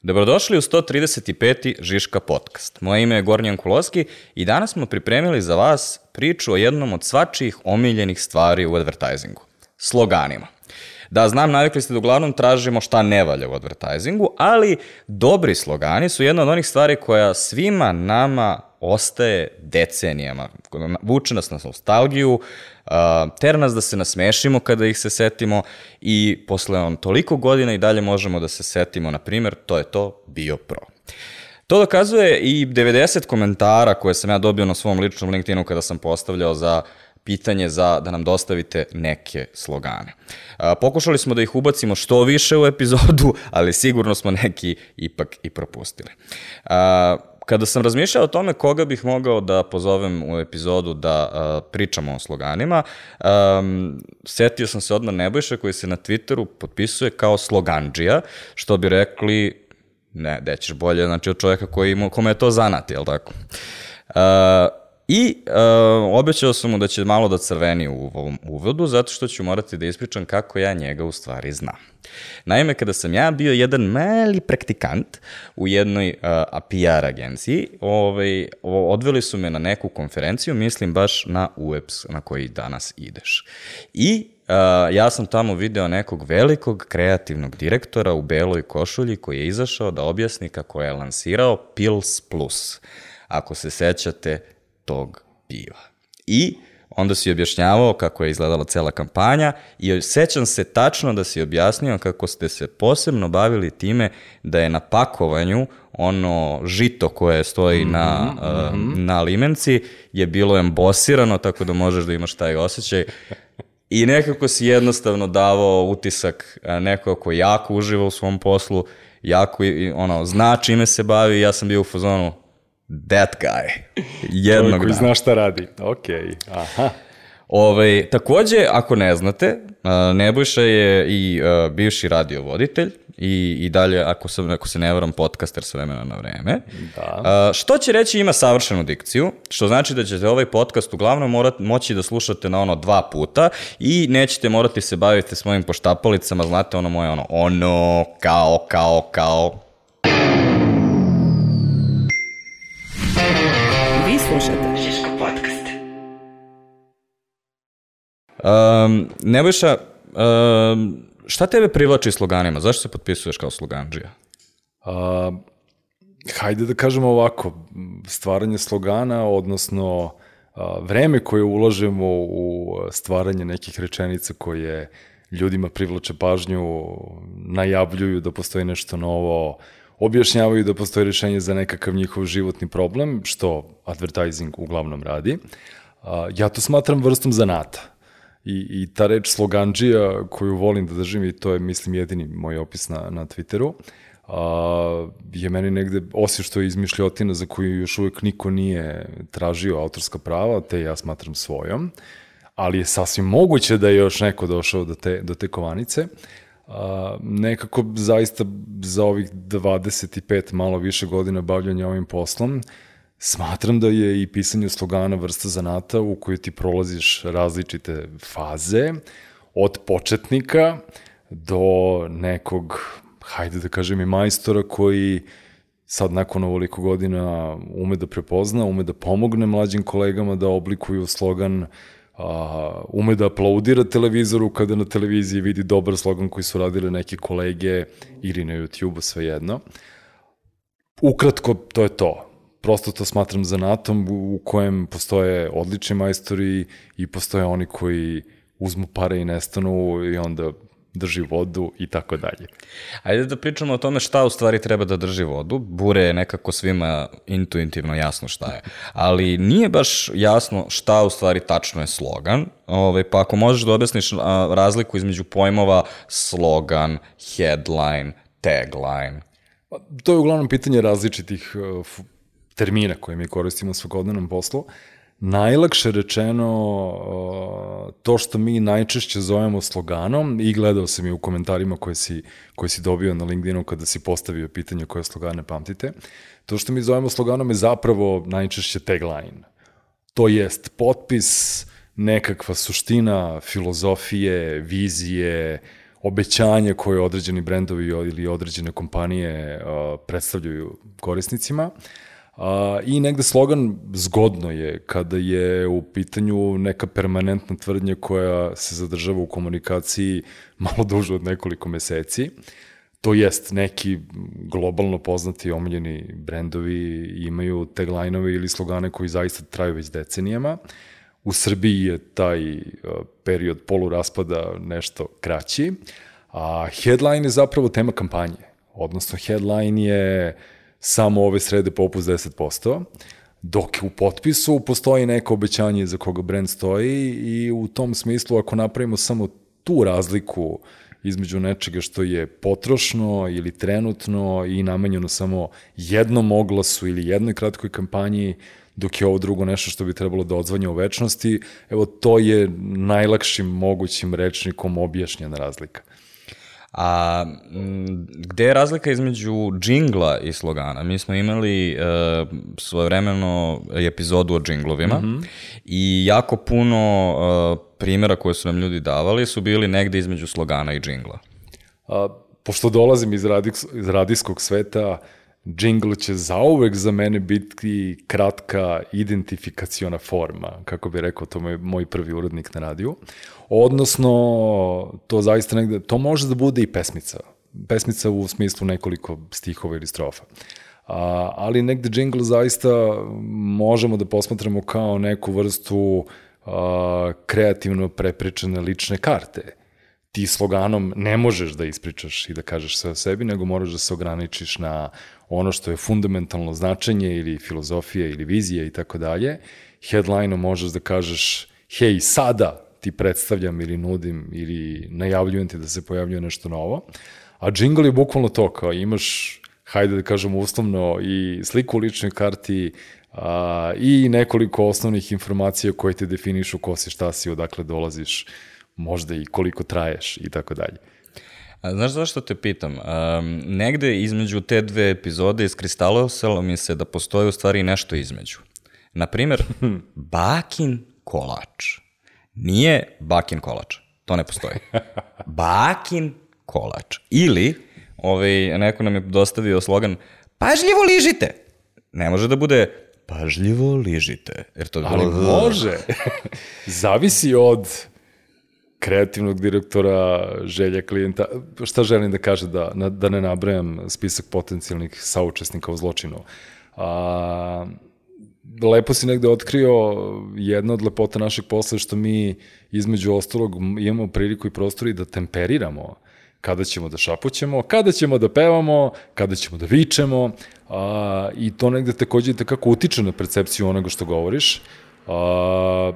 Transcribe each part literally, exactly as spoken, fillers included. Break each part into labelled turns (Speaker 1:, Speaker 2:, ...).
Speaker 1: Dobrodošli u sto trideset peti Žiška podcast. Moje ime je Gornjan Kuloski i danas smo pripremili za vas priču o jednom od svačijih omiljenih stvari u advertisingu. Sloganima. Da, znam, navikli ste da uglavnom tražimo šta ne valja u advertisingu, ali dobri slogani su jedna od onih stvari koja svima nama ostaje decenijama. Vuče nas na nostalgiju, tera nas da se nasmešimo kada ih se setimo i posle on toliko godina i dalje možemo da se setimo, na primjer, to je to Bio Pro. To dokazuje i devedeset komentara koje sam ja dobio na svom ličnom LinkedInu kada sam postavljao za pitanje za da nam dostavite neke slogane. Pokušali smo da ih ubacimo što više u epizodu, ali sigurno smo neki ipak i propustili. Kada sam razmišljao o tome koga bih mogao da pozovem u epizodu da uh, pričamo o sloganima, um, setio sam se odmah Nebojša koji se na Twitteru potpisuje kao slogandžija, što bi rekli, ne, gde ćeš bolje, znači od čovjeka koji ima, kome je to zanat, jel tako? Uh, I uh, obećao sam mu da će malo da crveni u ovom uvodu, zato što ću morati da ispričam kako ja njega u stvari znam. Naime, kada sam ja bio jedan mali praktikant u jednoj uh, P R agenciji, ovaj, odveli su me na neku konferenciju, mislim baš na U E P S na koji danas ideš. I uh, ja sam tamo video nekog velikog kreativnog direktora u beloj košulji koji je izašao da objasni kako je lansirao Pils Plus, ako se sećate tog piva. I onda si objašnjavao kako je izgledala cela kampanja i sećam se tačno da si objasnio kako ste se posebno bavili time da je na pakovanju ono žito koje stoji mm-hmm, na, mm-hmm. uh, na limenci je bilo embosirano tako da možeš da imaš taj osjećaj i nekako si jednostavno davao utisak neko ko jako uživa u svom poslu, jako ono, zna čime se bavi. Ja sam bio u fazonu that guy. Jednog dana.
Speaker 2: Koji zna šta radi. Ok, aha.
Speaker 1: Ove, takođe, ako ne znate, Nebojša je i uh, bivši radiovoditelj i, i dalje, ako, sam, ako se ne varam, podcaster s vremena na vreme.
Speaker 2: Da.
Speaker 1: Uh, što će reći ima savršenu dikciju, što znači da ćete ovaj podcast uglavnom morat, moći da slušate na ono dva puta i nećete morati se baviti s mojim poštapalicama, znate ono moje ono, ono, kao, kao, kao.
Speaker 3: Vi slušate Žiško podcast.
Speaker 1: Um, Nebojša, um, šta tebe privlači sloganima? Zašto se potpisuješ kao slogandžija?
Speaker 2: Uh, hajde da kažemo ovako, stvaranje slogana, odnosno uh, vreme koje ulažemo u stvaranje nekih rečenica koje ljudima privlače pažnju, najavljuju da postoji nešto novo, objašnjavaju da postoji rešenje za nekakav njihov životni problem, što advertising uglavnom radi. Uh, ja to smatram vrstom zanata. I, i ta reč slogandžija koju volim da držim, i to je, mislim, jedini moj opis na, na Twitteru, a, je meni negde, osim što je izmišljotina za koju još uvek niko nije tražio autorska prava, te ja smatram svojom, ali je sasvim moguće da je još neko došao do te, do te kovanice. A, nekako zaista za ovih dvadeset pet malo više godina bavljanja ovim poslom, smatram da je i pisanje slogana vrsta zanata u kojoj ti prolaziš različite faze, od početnika do nekog, hajde da kažem i majstora koji sad nakon ovoliko godina ume da prepozna, ume da pomogne mlađim kolegama da oblikuju slogan, a, ume da aplaudira televizoru kada na televiziji vidi dobar slogan koji su radili neki kolege ili na YouTube-u, svejedno. Ukratko, to je to. Prosto to smatram zanatom u kojem postoje odlični majstori i postoje oni koji uzmu pare i nestanu i onda drži vodu i tako dalje.
Speaker 1: Ajde da pričamo o tome šta u stvari treba da drži vodu. Bure je nekako svima intuitivno jasno šta je, ali nije baš jasno šta u stvari tačno je slogan. Ove, pa ako možeš da objasniš a, razliku između pojmova slogan, headline, tagline.
Speaker 2: To je uglavnom pitanje različitih uh, termina koje mi koristimo u svakodnevnom poslu. Najlakše rečeno, to što mi najčešće zovemo sloganom, i gledao sam i u komentarima koje si, koje si dobio na LinkedInu kada si postavio pitanje koje slogane pamtite, to što mi zovemo sloganom je zapravo najčešće tagline. To jest potpis, nekakva suština filozofije, vizije, obećanja koje određeni brendovi ili određene kompanije uh, predstavljaju korisnicima. Uh, I negde slogan zgodno je kada je u pitanju neka permanentna tvrdnja koja se zadržava u komunikaciji malo duže od nekoliko meseci. To jest, neki globalno poznati omiljeni brendovi imaju tagline-ove ili slogane koji zaista traju već decenijama. U Srbiji je taj period poluraspada nešto kraći, a headline je zapravo tema kampanje. Odnosno, headline je samo ove srede popust deset posto, dok u potpisu postoji neko obećanje za koga brend stoji i u tom smislu ako napravimo samo tu razliku između nečega što je potrošno ili trenutno i namenjeno samo jednom oglasu ili jednoj kratkoj kampanji, dok je ovo drugo nešto što bi trebalo da odzvanja u večnosti, evo to je najlakšim mogućim rečnikom objašnjena razlika.
Speaker 1: A m, gde je razlika između džingla i slogana? Mi smo imali e, svojevremeno epizodu o džinglovima mm-hmm. i jako puno e, primjera koje su nam ljudi davali su bili negde između slogana i džingla.
Speaker 2: A, pošto dolazim iz, radijs, iz radijskog sveta, džingl će zauvek za mene biti kratka identifikaciona forma, kako bi rekao, to je moj prvi urednik na radiju. Odnosno, to zaista negde, to može da bude i pesmica. Pesmica u smislu nekoliko stihova ili strofa. A, ali negde džingl zaista možemo da posmatramo kao neku vrstu a, kreativno prepričane lične karte. Ti sloganom ne možeš da ispričaš i da kažeš sve o sebi, nego moraš da se ograničiš na ono što je fundamentalno značenje ili filozofija ili vizija i tako dalje. Headline-om možeš da kažeš, hej, sada ti predstavljam ili nudim ili najavljujem ti da se pojavljuje nešto novo. A džingl je bukvalno to, kao imaš, hajde da kažemo uslovno, i sliku u ličnoj karti a, i nekoliko osnovnih informacija koje te definišu ko si, šta si, odakle dolaziš, možda i koliko traješ i tako dalje.
Speaker 1: A znaš zašto te pitam? Um, negde između te dve epizode iskristalisalo mi se da postoji u stvari nešto između. Naprimer, bakin kolač. Nije bakin kolač. To ne postoji. Bakin kolač. Ili, ovaj, neko nam je dostavio slogan, pažljivo ližite. Ne može da bude pažljivo ližite. Jer to
Speaker 2: ali bilo... može. Zavisi od kreativnog direktora, želja klijenta. Šta želim da kaže, da, da ne nabrajam spisak potencijalnih saučesnika u zločinu. A, lepo si negde otkrio jedna od lepota našeg posla, što mi između ostalog imamo priliku i prostor i da temperiramo kada ćemo da šapućemo, kada ćemo da pevamo, kada ćemo da vičemo, a, i to negde takođe tako utiče na percepciju onoga što govoriš. A,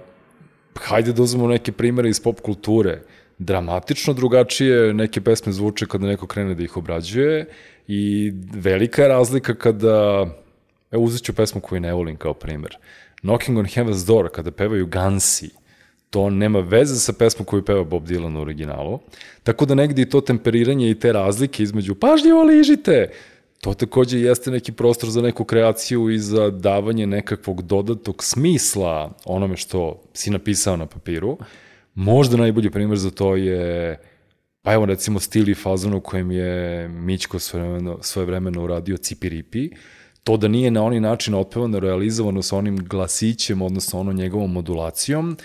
Speaker 2: hajde da uzmemo neke primere iz pop kulture. Dramatično drugačije neke pesme zvuče kada neko krene da ih obrađuje i velika je razlika kada, evo uzet ću pesmu koju ne volim kao primer, Knocking on Heaven's Door, kada pevaju Gansi, to nema veze sa pesmom koju peva Bob Dylan u originalu, tako da negdje i to temperiranje i te razlike između pažljivo ližite, to takođe jeste neki prostor za neku kreaciju i za davanje nekakvog dodatog smisla onome što si napisao na papiru. Možda najbolji primjer za to je, pa evo recimo stil i fazon u kojem je Mićko svojevremeno, svojevremeno uradio Cipiripi, to da nije na onaj način otpevano, realizovano sa onim glasićem, odnosno onom njegovom modulacijom,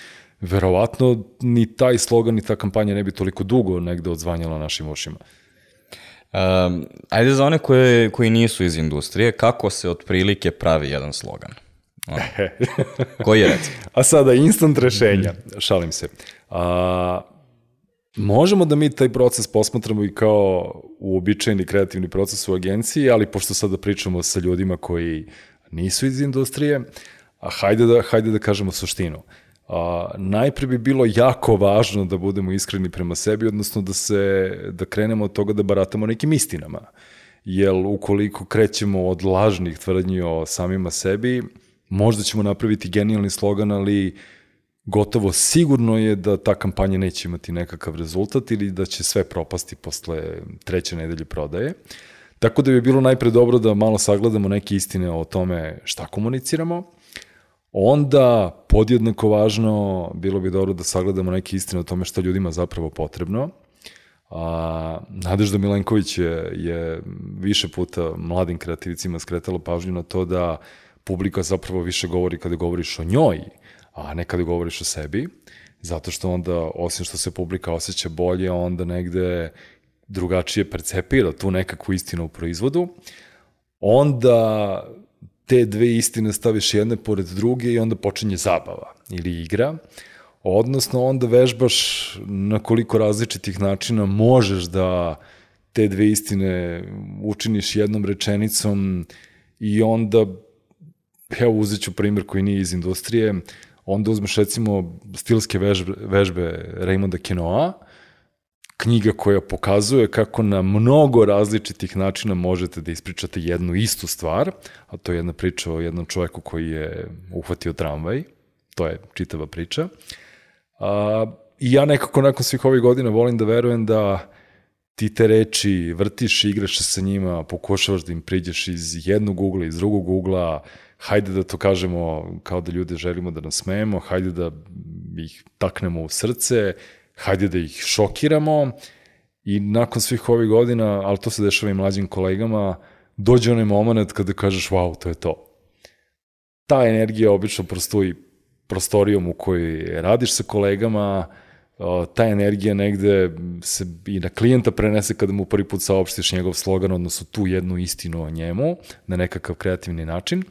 Speaker 2: verovatno ni taj slogan, ni ta kampanja ne bi toliko dugo negde odzvanjala našim ušima.
Speaker 1: Um, ajde za one koje, koji nisu iz industrije, kako se otprilike pravi jedan slogan? Ono. Koji je recept?
Speaker 2: A sada instant rešenja, šalim se. A, možemo da mi taj proces posmatramo i kao uobičajeni kreativni proces u agenciji, ali pošto sada pričamo sa ljudima koji nisu iz industrije, a hajde da, hajde da kažemo suštinu. A, najpre bi bilo jako važno da budemo iskreni prema sebi, odnosno da se da krenemo od toga da baratamo nekim istinama. Jer ukoliko krećemo od lažnih tvrdnji o samima sebi, možda ćemo napraviti genijalni slogan, ali gotovo sigurno je da ta kampanja neće imati nekakav rezultat ili da će sve propasti posle treće nedelje prodaje. Tako da bi bilo najpre dobro da malo sagledamo neke istine o tome šta komuniciramo. Onda, podjednako važno, bilo bi dobro da sagledamo neke istine o tome što ljudima zapravo potrebno. A, Nadežda Milenković je, je više puta mladim kreativicima skretala pažnju na to da publika zapravo više govori kada govoriš o njoj, a ne kada govoriš o sebi, zato što onda, osim što se publika osjeća bolje, onda negde drugačije percepira tu nekakvu istinu u proizvodu, onda te dve istine staviš jedne pored druge i onda počinje zabava ili igra, odnosno onda vežbaš na koliko različitih načina možeš da te dve istine učiniš jednom rečenicom i onda, evo uzet ću primjer koji nije iz industrije, onda uzmeš recimo stilske vežbe, vežbe Raymonda Queneau, knjiga koja pokazuje kako na mnogo različitih načina možete da ispričate jednu istu stvar, a to je jedna priča o jednom čoveku koji je uhvatio tramvaj, to je čitava priča. A, I ja nekako nakon svih ovih godina volim da verujem da ti te reči vrtiš, igraš se sa njima, pokušavaš da im priđeš iz jednog ugla, iz drugog ugla, hajde da to kažemo kao da ljude želimo da nas smejemo, hajde da ih taknemo u srce, hajde da ih šokiramo i nakon svih ovih godina, ali to se dešava i mlađim kolegama, dođe onaj moment kada kažeš wow, to je to. Ta energija obično prostoji prostorijom u kojoj radiš sa kolegama, ta energija negde se i na klijenta prenese kada mu prvi put saopštiš njegov slogan, odnosno tu jednu istinu o njemu, na nekakav kreativni način.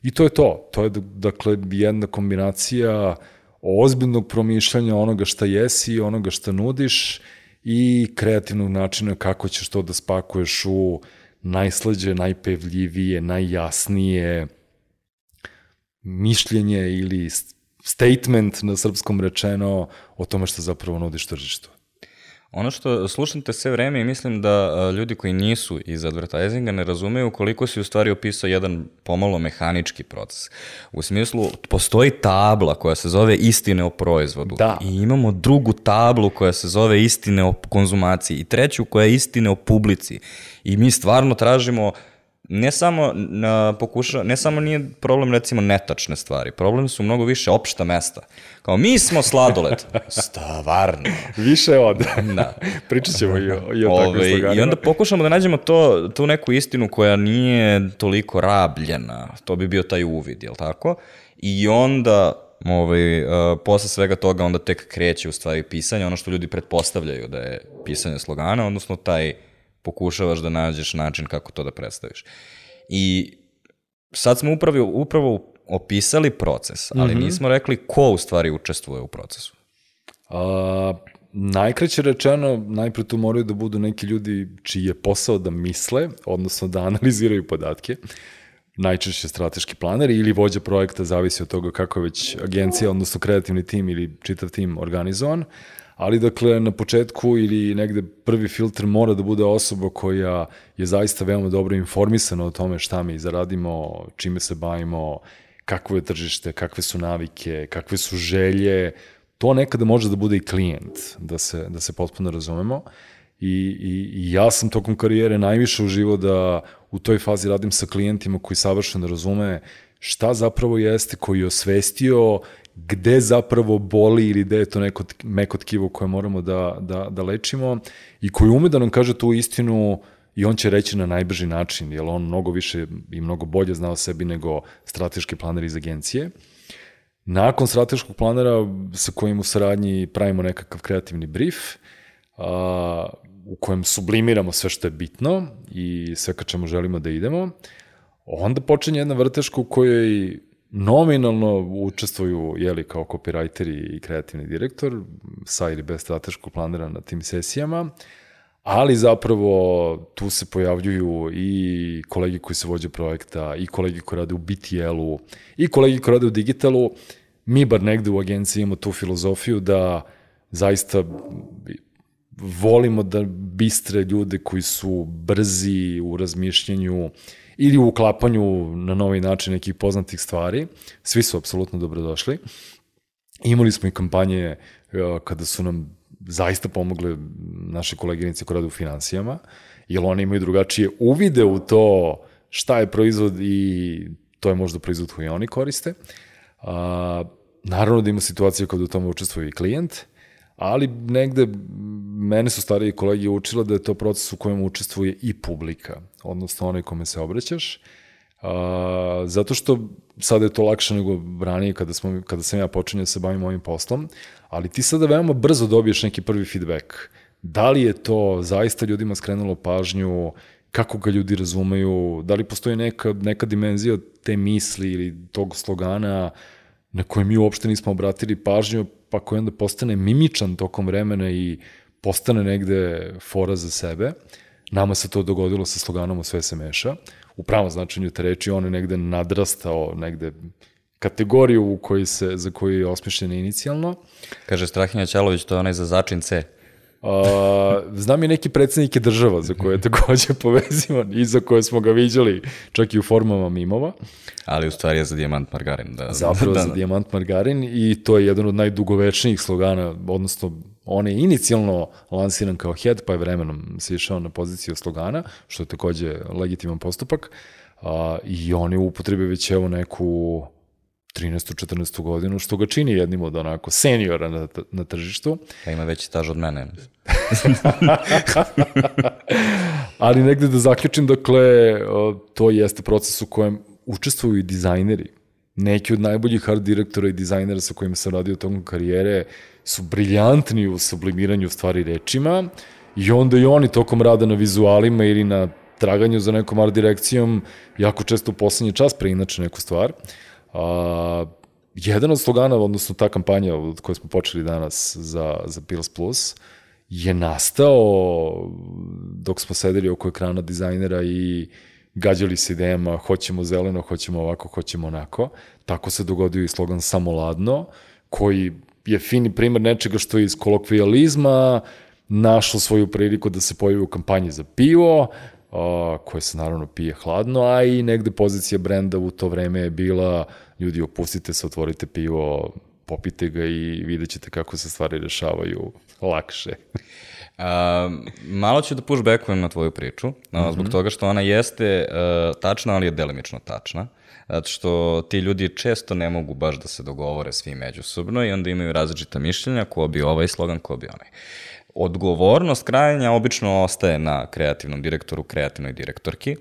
Speaker 2: I to je to. To je, dakle, jedna kombinacija ozbiljnog promišljanja onoga šta jesi, onoga šta nudiš i kreativnog načina kako ćeš to da spakuješ u najslađe, najpevljivije, najjasnije mišljenje ili statement na srpskom rečeno o tome što zapravo nudiš tržištu.
Speaker 1: Ono što slušam te sve vreme i mislim da ljudi koji nisu iz advertisinga ne razumeju koliko si u stvari opisao jedan pomalo mehanički proces. U smislu, postoji tabla koja se zove istine o proizvodu.
Speaker 2: Da.
Speaker 1: I imamo drugu tablu koja se zove istine o konzumaciji i treću koja je istine o publici. I mi stvarno tražimo ne samo na pokuša, ne samo nije problem recimo netačne stvari, problem su mnogo više opšta mesta. Kao mi smo sladoled. Stvarno.
Speaker 2: Više od.
Speaker 1: Da.
Speaker 2: Pričat ćemo i o, i o takvim sloganima.
Speaker 1: I onda pokušamo da nađemo to, tu neku istinu koja nije toliko rabljena. To bi bio taj uvid, jel tako? I onda ovaj, uh, posle svega toga onda tek kreće u stvari pisanje, ono što ljudi pretpostavljaju da je pisanje slogana, odnosno taj pokušavaš da nađeš način kako to da predstaviš. I sad smo upravo, upravo opisali proces, ali mm-hmm. nismo rekli ko u stvari učestvuje u procesu.
Speaker 2: A, najkraće rečeno, najpre tu moraju da budu neki ljudi čiji je posao da misle, odnosno da analiziraju podatke, najčešće strateški planeri ili vođa projekta, zavisi od toga kako je već agencija, odnosno kreativni tim ili čitav tim organizovan. Ali dakle, na početku ili negde prvi filtr mora da bude osoba koja je zaista veoma dobro informisana o tome šta mi zaradimo, čime se bavimo, kakvo je tržište, kakve su navike, kakve su želje. To nekada može da bude i klijent, da se, da se potpuno razumemo. I, i, I ja sam tokom karijere najviše uživao da u toj fazi radim sa klijentima koji savršeno razume šta zapravo jeste, koji je osvestio gde zapravo boli ili gde je to neko meko tkivo koje moramo da, da, da lečimo i koji ume da nam kaže tu istinu i on će reći na najbrži način, jer on mnogo više i mnogo bolje zna o sebi nego strateški planer iz agencije. Nakon strateškog planera sa kojim u saradnji pravimo nekakav kreativni brief, a, u kojem sublimiramo sve što je bitno i sve ka čemu želimo da idemo, onda počinje jedna vrteška u kojoj nominalno učestvuju jeli, kao copywriteri i kreativni direktor sa ili bez strateškog planera na tim sesijama, ali zapravo tu se pojavljuju i kolegi koji se vođe projekta, i kolegi koji rade u B T L-u, i kolegi koji rade u digitalu. Mi bar negde u agenciji imamo tu filozofiju da zaista volimo da bistre ljude koji su brzi u razmišljanju ili u uklapanju na novi način nekih poznatih stvari. Svi su apsolutno dobrodošli. Imali smo i kampanje kada su nam zaista pomogle naše koleginice koje rade u finansijama, jer one imaju drugačije uvide u to šta je proizvod i to je možda proizvod koji oni koriste. A, naravno da ima situacija kada u tome učestvuje i klijent, ali negde mene su stariji kolegi učila da je to proces u kojem učestvuje i publika, odnosno onaj kome se obraćaš, a, zato što sada je to lakše nego ranije kada, smo, kada sam ja počinio da se bavim ovim poslom, ali ti sada veoma brzo dobiješ neki prvi feedback. Da li je to zaista ljudima skrenulo pažnju, kako ga ljudi razumeju, da li postoji neka, neka dimenzija te misli ili tog slogana na koje mi uopšte nismo obratili pažnju, pa koji onda postane mimičan tokom vremena i postane negde fora za sebe. Nama se to dogodilo sa sloganom "U sve se meša". U pravom značenju te reči, on je negde nadrastao negde kategoriju u kojoj se, za koju je osmišljen inicijalno.
Speaker 1: Kaže Strahinja Ćalović, to je onaj za začin C.
Speaker 2: A, znam i neki predsednike država za koje je takođe povezivan i za koje smo ga viđali čak i u formama mimova.
Speaker 1: Ali u stvari je za dijamant margarin. Da,
Speaker 2: Zapravo
Speaker 1: da,
Speaker 2: za dijamant margarin i to je jedan od najdugovečnijih slogana, odnosno on je inicijalno lansiran kao head, pa je vremenom se išao na poziciju slogana, što je takođe legitiman postupak, a, i on je u upotrebi već evo neku trinaestu četrnaestu godinu, što ga čini jednim od onako seniora na, na tržištu.
Speaker 1: Pa ima veći staž od mene.
Speaker 2: Ali negde da zaključim, dakle, to jeste proces u kojem učestvuju i dizajneri. Neki od najboljih art direktora i dizajnera sa kojima sam radio tokom karijere su briljantni u sublimiranju stvari rečima i onda i oni tokom rada na vizualima ili na traganju za nekom art direkcijom jako često u poslednji čas preinače neku stvar. A, jedan od slogana, odnosno ta kampanja od koje smo počeli danas za, za Pils Plus, je nastao dok smo sedeli oko ekrana dizajnera i gađali se idejama, hoćemo zeleno, hoćemo ovako, hoćemo onako. Tako se dogodio i slogan "Samo ladno", koji je fini primer nečega što je iz kolokvijalizma našlo svoju priliku da se pojavi u kampanji za pivo, a, koje se naravno pije hladno, a i negde pozicija brenda u to vreme je bila: ljudi, opustite se, otvorite pivo, popite ga i vidjet ćete kako se stvari rešavaju lakše.
Speaker 1: Uh, malo ću da pushbackujem na tvoju priču, no, mm-hmm. zbog toga što ona jeste uh, tačna, ali je delimično tačna. Zato što ti ljudi često ne mogu baš da se dogovore svi međusobno i onda imaju različita mišljenja, ko bi ovaj slogan, ko bi onaj. Odgovornost krajanja obično ostaje na kreativnom direktoru, kreativnoj direktorki,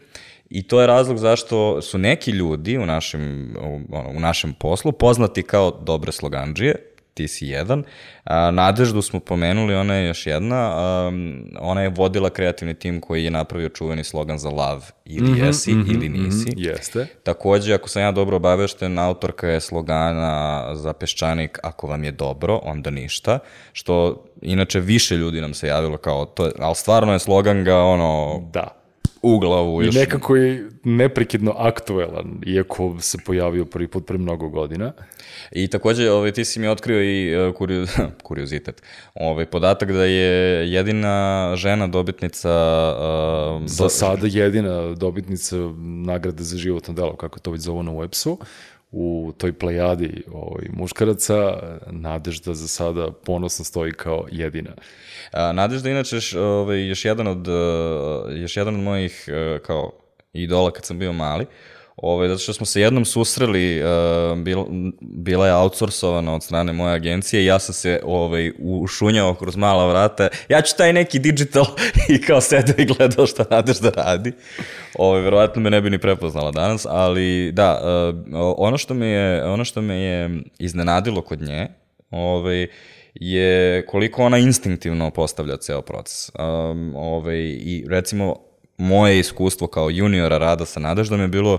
Speaker 1: i to je razlog zašto su neki ljudi u našem, u, u našem poslu poznati kao dobre slogandžije. Ti si jedan. A, Nadeždu smo pomenuli, ona je još jedna. A, ona je vodila kreativni tim koji je napravio čuveni slogan za Love, ili mm-hmm, jesi mm-hmm, ili nisi.
Speaker 2: Mm-hmm, jeste.
Speaker 1: Takođe, ako sam ja dobro obavešten, autorka je slogana za Peščanik "Ako vam je dobro, onda ništa", što inače više ljudi nam se javilo kao to, ali stvarno je slogan ga ono...
Speaker 2: Da.
Speaker 1: U glavu još.
Speaker 2: I nekako je neprekidno aktuelan, iako se pojavio prvi put pre mnogo godina.
Speaker 1: I takođe, ovaj, ti si mi otkrio i uh, kurio, kuriozitet. Ovaj, podatak da je jedina žena dobitnica... Uh,
Speaker 2: za
Speaker 1: do...
Speaker 2: sada jedina dobitnica nagrade za životno delo, kako to već zovu na websu, u toj plejadi ovaj, muškaraca. Nadežda za sada ponosno stoji kao jedina.
Speaker 1: A, Nadežda inače ovaj, još jedan od još jedan od mojih kao idola kad sam bio mali. Ovaj, zato što smo se jednom susreli, uh, bil, bila je outsourcovana od strane moje agencije i ja sam se ovaj, ušunjao kroz mala vrata. Ja ću taj neki digital i kao sedeo i gledao šta Nadežda radi. Ovaj, verovatno me ne bi ni prepoznala danas, ali da, uh, ono, što me je, ono što me je iznenadilo kod nje, ovaj, je koliko ona instinktivno postavlja ceo proces. Um, ovaj, I recimo, moje iskustvo kao juniora rada sa Nadeždom je bilo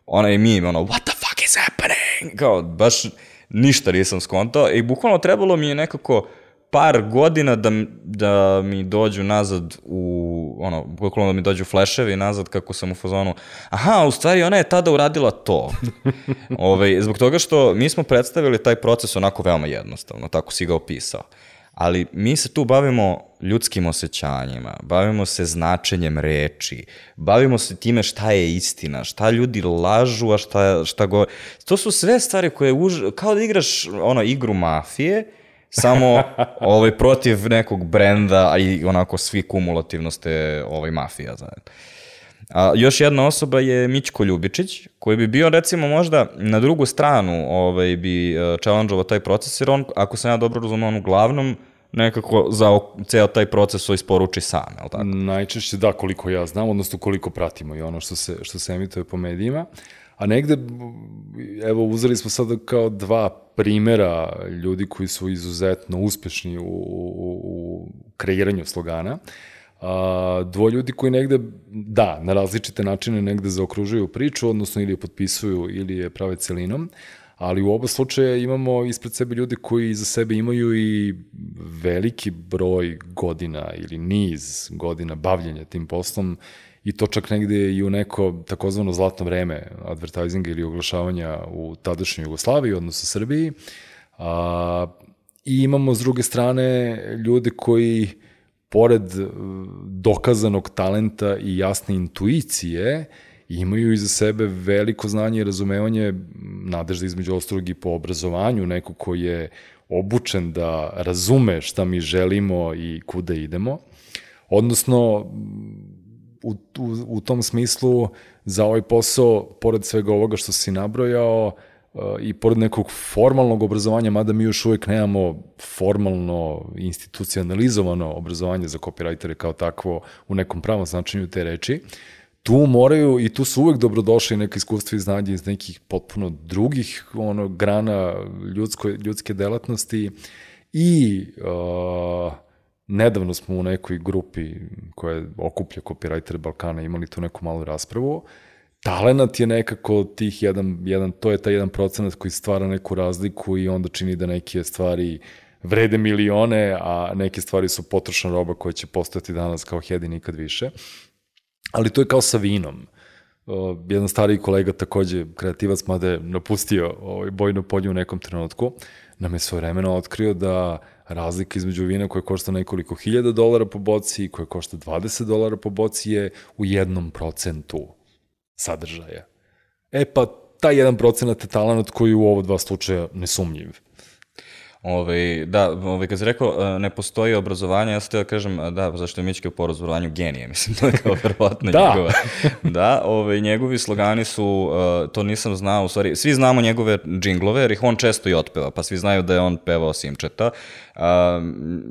Speaker 1: onaj meme, ono, what the fuck is happening? Kao, baš ništa nisam skontao i bukvalno trebalo mi je nekako par godina da, da mi dođu nazad u, ono, bukvalno da mi dođu fleševi nazad kako sam u fazonu, aha, u stvari ona je tada uradila to. Ove, zbog toga što mi smo predstavili taj proces onako veoma jednostavno, tako si ga opisao. Ali mi se tu bavimo ljudskim osjećanjima, bavimo se značenjem reči, bavimo se time šta je istina, šta ljudi lažu, a šta, šta go... To su sve stvari koje, už... kao da igraš ono, igru mafije, samo ovaj, protiv nekog brenda, a i onako svi kumulativno ste ovaj, mafija zajedno. A još jedna osoba je Mićko Ljubičić, koji bi bio recimo možda na drugu stranu ovaj, bi uh, challenge-ovao taj proces, jer on, ako sam ja dobro razumio, on uglavnom nekako za ceo taj proces isporuči sam, je li tako?
Speaker 2: Najčešće da, koliko ja znam, odnosno koliko pratimo i ono što se, što se emituje po medijima. A negde, evo, uzeli smo sada kao dva primera ljudi koji su izuzetno uspešni u, u, u kreiranju slogana. A, dvoje ljudi koji negde, da, na različite načine negde zaokružuju priču, odnosno ili je potpisuju ili je prave celinom, ali u oba slučaja imamo ispred sebe ljudi koji za sebe imaju i veliki broj godina ili niz godina bavljenja tim poslom i to čak negde i u neko takozvano zlatno vreme advertisinga ili oglašavanja u tadašnjoj Jugoslaviji, odnosno Srbiji. A, I imamo s druge strane ljude koji pored dokazanog talenta i jasne intuicije, imaju iza sebe veliko znanje i razumevanje, nadežda između ostalog i po obrazovanju, neko ko je obučen da razume šta mi želimo i kuda idemo. Odnosno, u, u, u tom smislu, za ovaj posao, pored svega ovoga što si nabrojao, i pored nekog formalnog obrazovanja, mada mi još uvek nemamo formalno institucionalizovano obrazovanje za copywritere kao takvo u nekom pravom značenju te reči, tu moraju i tu su uvek dobrodošli neka iskustva i znanje iz nekih potpuno drugih ono, grana ljudsko, ljudske delatnosti i uh, nedavno smo u nekoj grupi koja okuplja copywritere Balkana imali tu neku malu raspravu. Talenat je nekako tih jedan, jedan, to je taj jedan procenat koji stvara neku razliku i onda čini da neke stvari vrede milione, a neke stvari su potrošna roba koja će postojati danas kao hedi nikad više. Ali to je kao sa vinom. Uh, jedan stariji kolega, takođe kreativac, mada je napustio ovaj bojno polje u nekom trenutku, nam je svojevremeno otkrio da razlika između vina koja košta nekoliko hiljada dolara po boci i koja košta dvadeset dolara po boci je u jednom procentu sadržaja. E pa, taj jedan procenat je talenat koji u ovo dva slučaja nesumnjiv.
Speaker 1: Ove, da, ove, kad si rekao, ne postoji obrazovanje, ja sam htio da kažem, da, zašto je Mićke po obrazovanju genije, mislim, to je kao verovatno
Speaker 2: da.
Speaker 1: njegova. Da, ove, njegovi slogani su, uh, to nisam znao, u stvari, svi znamo njegove džinglove, jer ih on često i otpeva, pa svi znaju da je on pevao Simčeta. Uh,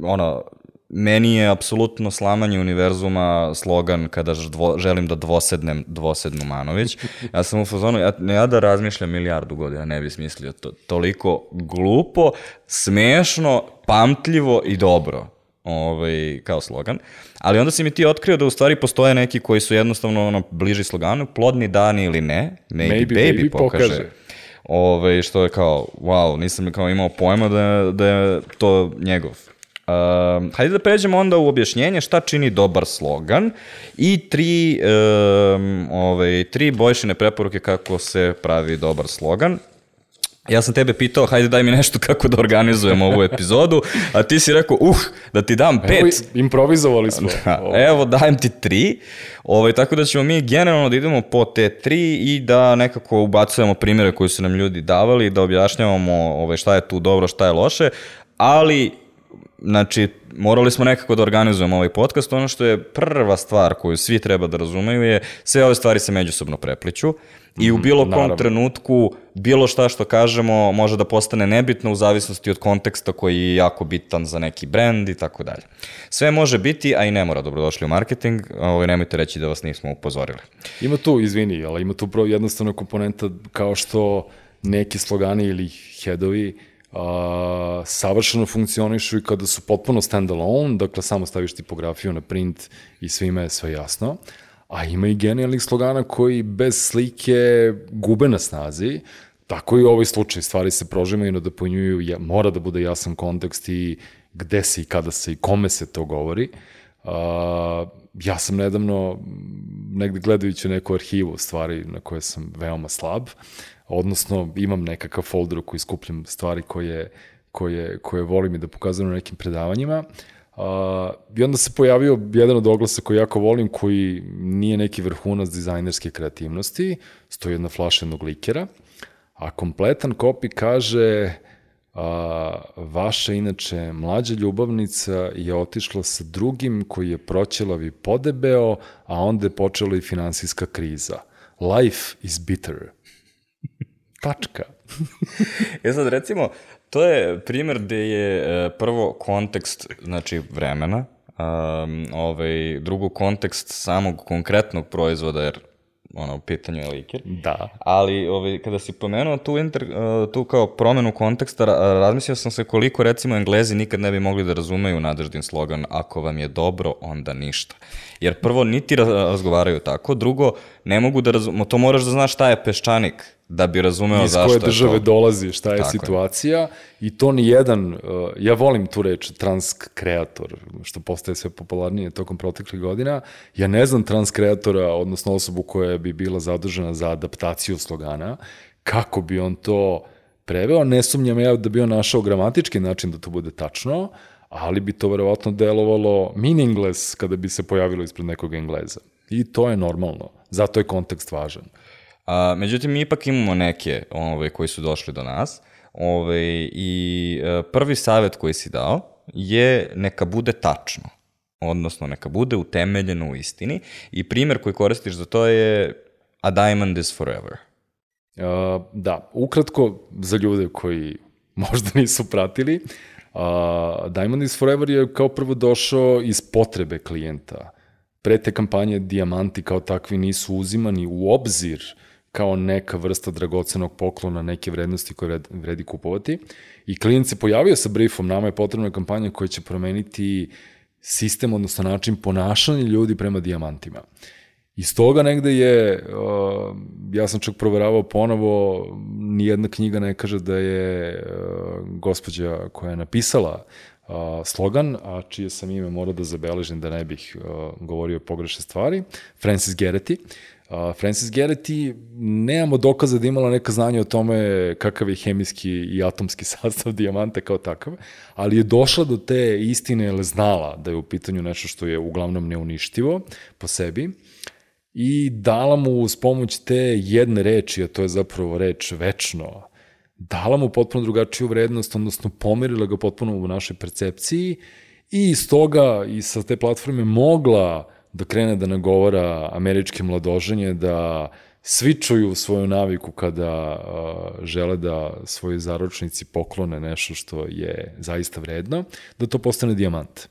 Speaker 1: ono, meni je apsolutno slamanje univerzuma slogan kada dvo, želim da dvosednem dvosednu Manović. Ja sam u fazonu, ja, ja da razmišljam milijardu godina, ne bi smislio to, toliko glupo, smešno, pamtljivo i dobro ovaj, kao slogan. Ali onda si mi ti otkrio da u stvari postoje neki koji su jednostavno ono, bliži sloganu, plodni dani ili ne, maybe, maybe baby, baby pokaže. pokaže. Ove, što je kao, wow, nisam kao imao pojma da, da je to njegov. Uh, hajde da pređemo onda u objašnjenje šta čini dobar slogan i tri, um, ovaj, tri Bojšine preporuke kako se pravi dobar slogan. Ja sam tebe pitao, hajde daj mi nešto kako da organizujemo ovu epizodu, a ti si rekao, uh, da ti dam pet.
Speaker 2: Evo, improvizovali smo.
Speaker 1: Da, evo, dajem ti tri. Ovaj, tako da ćemo mi generalno da idemo po te tri i da nekako ubacujemo primjere koji su nam ljudi davali, da objašnjavamo ovaj, šta je tu dobro, šta je loše, ali znači, morali smo nekako da organizujemo ovaj podcast. Ono što je prva stvar koju svi treba da razumeju je sve ove stvari se međusobno prepliću i u bilo kom Naravno. trenutku bilo šta što kažemo može da postane nebitno u zavisnosti od konteksta koji je jako bitan za neki brend i tako dalje. Sve može biti, a i ne mora. Dobrodošli u marketing, ovaj, nemojte reći da vas nismo upozorili.
Speaker 2: Ima tu, izvini, ali ima tu jednostavna komponenta kao što neki slogani ili headovi Uh, savršeno funkcionišu i kada su potpuno stand-alone, dakle samo staviš tipografiju na print i svima je sve jasno, a ima i genijalnih slogana koji bez slike gube na snazi, tako i u ovoj slučaju stvari se prožimaju, nadopunjuju, ja, mora da bude jasan kontekst i gde se i kada se i kome se to govori. Uh, ja sam nedavno negde gledajući neku arhivu stvari na koje sam veoma slab, odnosno imam nekakav folder u koji skupljam stvari koje, koje, koje volim i da pokazujem na nekim predavanjima. Uh, I onda se pojavio jedan od oglasa koji jako volim, koji nije neki vrhunac dizajnerske kreativnosti, stoji jedna flaša jednog likera, a kompletan copy kaže uh, vaša inače mlađa ljubavnica je otišla sa drugim koji je proćelav i podebeo, a onda je počela i finansijska kriza. Life is bitter. tačka.
Speaker 1: E sad, recimo, to je primjer gde je prvo kontekst, znači, vremena, um, ovaj, drugo kontekst samog konkretnog proizvoda, jer ono, u pitanju je liker.
Speaker 2: Da.
Speaker 1: Ali ovaj, kada si pomenuo tu, inter, uh, tu kao promenu konteksta, razmislio sam se koliko recimo Englezi nikad ne bi mogli da razumeju Nadeždin slogan ako vam je dobro, onda ništa. Jer prvo, niti razgovaraju tako, drugo, ne mogu da razumeju, to moraš da znaš šta je peščanik, da bi razumeo zašto je to.
Speaker 2: Iz koje države dolazi, šta je
Speaker 1: tako
Speaker 2: situacija je. I to ni jedan, uh, ja volim tu reč transkreator, što postaje sve popularnije tokom proteklih godina, ja ne znam transkreatora, odnosno osobu koja bi bila zadužena za adaptaciju slogana, kako bi on to preveo, ne sumnjam ja da bi on našao gramatički način da to bude tačno, ali bi to verovatno delovalo meaningless kada bi se pojavilo ispred nekog Engleza. I to je normalno, zato je kontekst važan.
Speaker 1: A, međutim, mi ipak imamo neke ove, koji su došli do nas ove, i e, prvi savjet koji si dao je neka bude tačno, odnosno neka bude utemeljeno u istini i primjer koji koristiš za to je a diamond is forever.
Speaker 2: Uh, da, ukratko za ljude koji možda nisu pratili, uh, Diamond is Forever je kao prvo došao iz potrebe klijenta. Pre te kampanje dijamanti kao takvi nisu uzimani u obzir kao neka vrsta dragocenog poklona, neke vrednosti koje vredi kupovati. I klijent se pojavio sa briefom, nama je potrebna kampanja koja će promeniti sistem, odnosno način ponašanja ljudi prema dijamantima. Iz toga negde je, uh, ja sam čak proveravao ponovo, nijedna knjiga ne kaže da je uh, gospođa koja je napisala uh, slogan, a čije sam ime morao da zabeležim da ne bih uh, govorio pogrešne stvari, Frances Gerety. Uh, Frances Gerety, nemamo dokaza da imala neka znanja o tome kakav je hemijski i atomski sastav dijamanta kao takav, ali je došla do te istine, jer znala da je u pitanju nešto što je uglavnom neuništivo po sebi, i dala mu uz pomoć te jedne reči, a to je zapravo reč večno, dala mu potpuno drugačiju vrednost, odnosno pomerila ga potpuno u našoj percepciji i iz toga i sa te platforme mogla da krene da nagovara američke mladoženje da svičuju svoju naviku kada uh, žele da svojoj zaročnici poklone nešto što je zaista vredno, da to postane dijamant.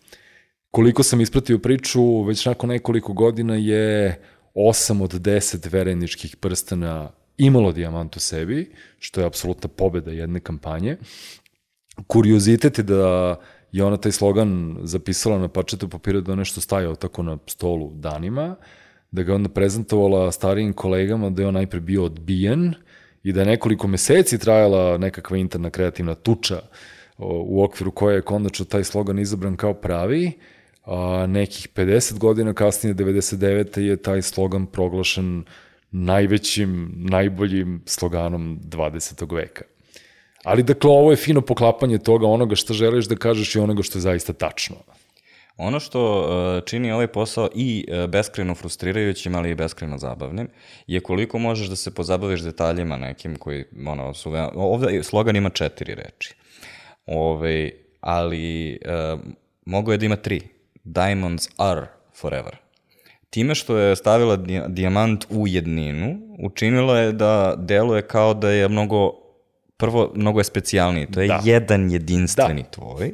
Speaker 2: Koliko sam ispratio priču, već nakon nekoliko godina je osam od deset vereničkih prstena imalo dijamant u sebi, što je apsolutna pobeda jedne kampanje. Kuriozitet je da je ona taj slogan zapisala na parčetu papira da nešto stajao tako na stolu danima, da ga onda prezentovala starijim kolegama da je on najpre bio odbijen i da je nekoliko meseci trajala nekakva interna kreativna tuča u okviru koje je konačno taj slogan izabran kao pravi, a nekih pedeset godina kasnije, devedeset devete je taj slogan proglašen najvećim, najboljim sloganom dvadesetog veka. Ali dakle, ovo je fino poklapanje toga, onoga što želiš da kažeš i onoga što je zaista tačno.
Speaker 1: Ono što uh, čini ovaj posao i uh, beskrajno frustrirajućim, ali i beskrajno zabavnim, je koliko možeš da se pozabaviš detaljima nekim koji, ono, su veoma... Ovde slogan ima četiri reči. Ove, ali uh, mogo je da ima tri. Diamonds are forever. Time što je stavila dijamant u jedninu, učinilo je da deluje kao da je mnogo, prvo, mnogo je specijalniji. To je da. jedan jedinstveni da. tvoj.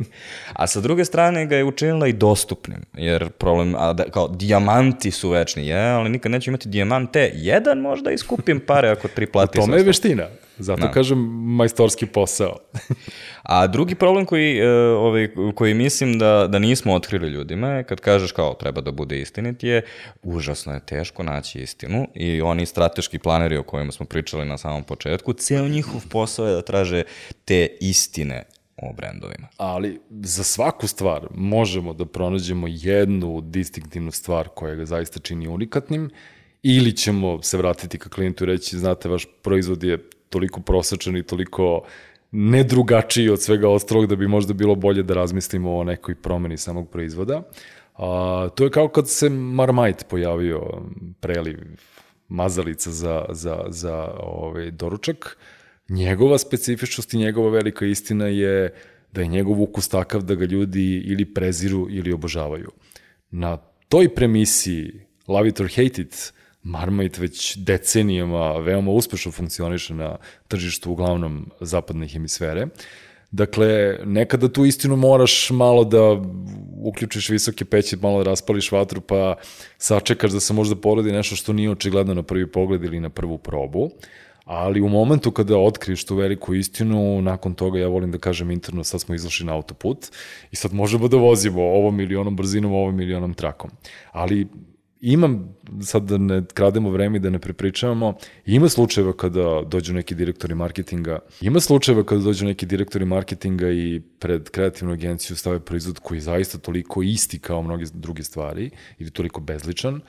Speaker 1: A sa druge strane ga je učinila i dostupnim. Jer problem, a da, kao, dijamanti su večni, je, ali nikad neću imati dijamante. Jedan možda iskupim pare ako tri plati.
Speaker 2: U tome je veština. Zato no. kažem majstorski posao.
Speaker 1: A drugi problem koji, ovaj, koji mislim da, da nismo otkrili ljudima je kad kažeš kao treba da bude istinit je, užasno je teško naći istinu i oni strateški planeri o kojima smo pričali na samom početku, ceo njihov posao je da traže te istine o brendovima.
Speaker 2: Ali za svaku stvar možemo da pronađemo jednu distinktivnu stvar koja ga zaista čini unikatnim ili ćemo se vratiti ka klijentu i reći, znate, vaš proizvod je toliko prosečan i toliko nedrugačiji od svega ostalog da bi možda bilo bolje da razmislimo o nekoj promeni samog proizvoda. A, to je kao kad se Marmite pojavio, preliv, mazalica za, za, za ovaj, doručak. Njegova specifičnost i njegova velika istina je da je njegov ukus takav da ga ljudi ili preziru ili obožavaju. Na toj premisiji Love it or hate it Marmite već decenijama veoma uspešno funkcioniše na tržištu uglavnom zapadne hemisfere. Dakle, nekada tu istinu moraš malo da uključiš visoke peće, malo da raspališ vatru, pa sačekaš da se možda porodi nešto što nije očigledno na prvi pogled ili na prvu probu. Ali u momentu kada otkriješ tu veliku istinu, nakon toga, ja volim da kažem interno, sad smo izašli na autoput i sad možemo da vozimo ovom ili onom brzinom, ovom ili onom trakom. Ali imam, sad da ne krademo vreme i da ne prepričavamo, ima slučajeva kada dođu neki direktori marketinga, ima slučajeva kada dođu neki direktori marketinga i pred kreativnu agenciju stave proizvod koji je zaista toliko isti kao mnoge druge stvari ili toliko bezličan,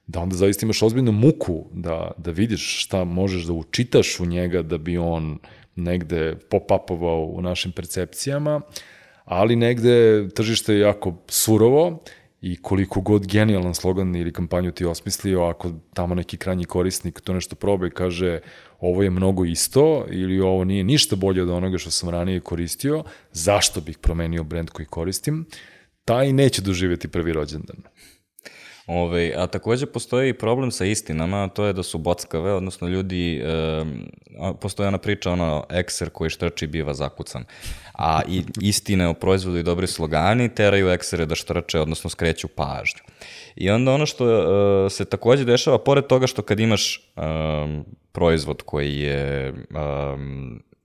Speaker 2: da onda zaista imaš ozbiljnu muku da, da vidiš šta možeš da učitaš u njega da bi on negde pop-upovao u našim percepcijama, ali negde tržište je jako surovo i koliko god genijalan slogan ili kampanju ti osmislio, ako tamo neki krajnji korisnik to nešto proba i kaže ovo je mnogo isto ili ovo nije ništa bolje od onoga što sam ranije koristio, zašto bih promenio brend koji koristim, taj neće doživjeti prvi rođendan.
Speaker 1: Ove, a takođe postoji i problem sa istinama, to je da su bockave, odnosno ljudi, e, postoji ona priča, ono, ekser koji štrči biva zakucan, a i istine o proizvodu i dobri slogani teraju eksere da štrče, odnosno skreću pažnju. I onda ono što e, se takođe dešava, pored toga što kad imaš e, proizvod koji je e,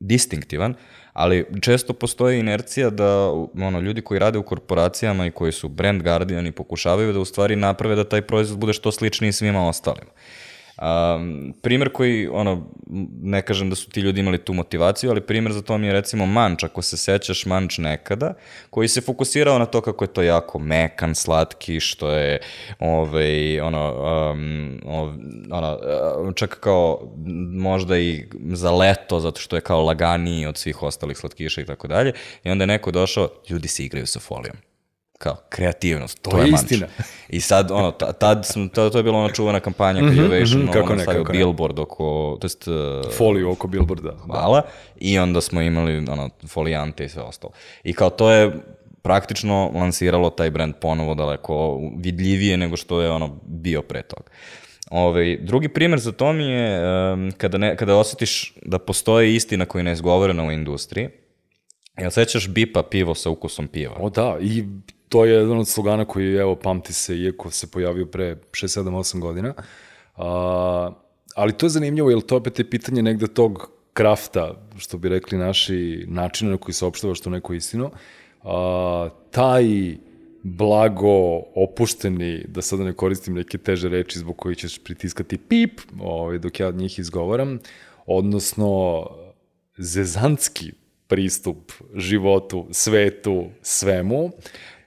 Speaker 1: distinktivan, ali često postoji inercija da ono, ljudi koji rade u korporacijama i koji su brand guardiani pokušavaju da u stvari naprave da taj proizvod bude što sličniji svima ostalima. Um, primer koji, ono, ne kažem da su ti ljudi imali tu motivaciju, ali primer za to mi je recimo Manč, ako se sećaš Manč nekada, koji se fokusirao na to kako je to jako mekan, slatki, što je ovaj, ono, um, ono, čak kao možda i za leto, zato što je kao laganiji od svih ostalih slatkiša i tako dalje, i onda je neko došao, ljudi se igraju sa folijom. Kao, kreativnost, to, to je, je istina. I sad, ono, tad sam, to, to je bila ona čuvana kampanja mm-hmm, Creation, mm-hmm, ono, stavio ne, billboard oko, to jest...
Speaker 2: Foliju oko billboarda.
Speaker 1: Hvala, i onda smo imali, ono, folijante i sve ostalo. I kao, to je praktično lansiralo taj brand ponovo daleko vidljivije nego što je, ono, bio pre toga. Ove, drugi primjer za to mi je um, kada, ne, kada osjetiš da postoje istina koja je neizgovorena u industriji. Jel sećaš Bipa pivo sa ukusom piva?
Speaker 2: O da, i to je jedan od slogana koji, evo, pamti se, iako se pojavio pre šest, sedam, osam godina. A, ali to je zanimljivo, jer to opet je pitanje negde tog krafta, što bi rekli naši, načina na koji se opštavaš tu neku istinu. A, taj blago opušteni, da sada ne koristim neke teže reči zbog koji ćeš pritiskati pip, ovaj, dok ja od njih izgovaram, odnosno zezantski pristup životu, svetu, svemu.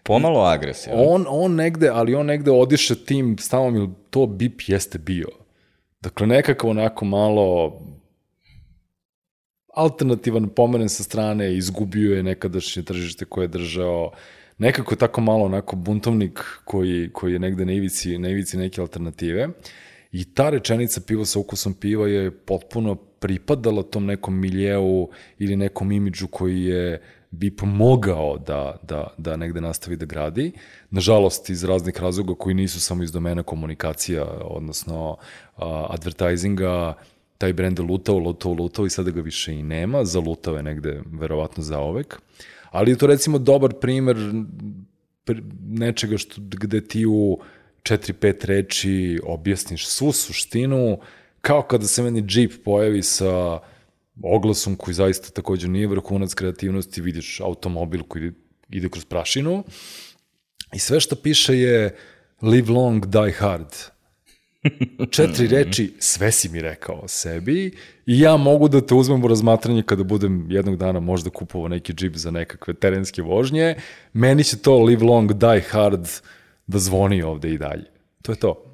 Speaker 1: Pomalo agresivno.
Speaker 2: On, on negde, ali on negde odiše tim stavom, ili to Bip jeste bio. Dakle, nekako onako malo alternativan pomeren sa strane, izgubio je nekadašnje tržište koje je držao, nekako tako malo onako buntovnik koji, koji je negde na ivici, na ivici neke alternative. I ta rečenica pivo sa ukusom piva je potpuno pripadala tom nekom miljeu ili nekom imidžu koji je Bip mogao da, da, da negde nastavi da gradi. Nažalost, iz raznih razloga koji nisu samo iz domena komunikacija, odnosno uh, advertisinga, taj brend je lutao, lutao, lutao i sada ga više i nema. Zalutao je negde, verovatno, zaovek. Ali je to, recimo, dobar primer nečega što, gde ti u četiri pet reči objasniš svu suštinu, kao kada se meni Jeep pojavi sa oglasom koji zaista također nije vrhunac kreativnosti, vidiš automobil koji ide kroz prašinu i sve što piše je live long, die hard. Četiri reči, sve si mi rekao o sebi i ja mogu da te uzmem u razmatranje kada budem jednog dana možda kupovao neki Jeep za nekakve terenske vožnje. Meni će to live long, die hard da zvoni ovde i dalje. To je to.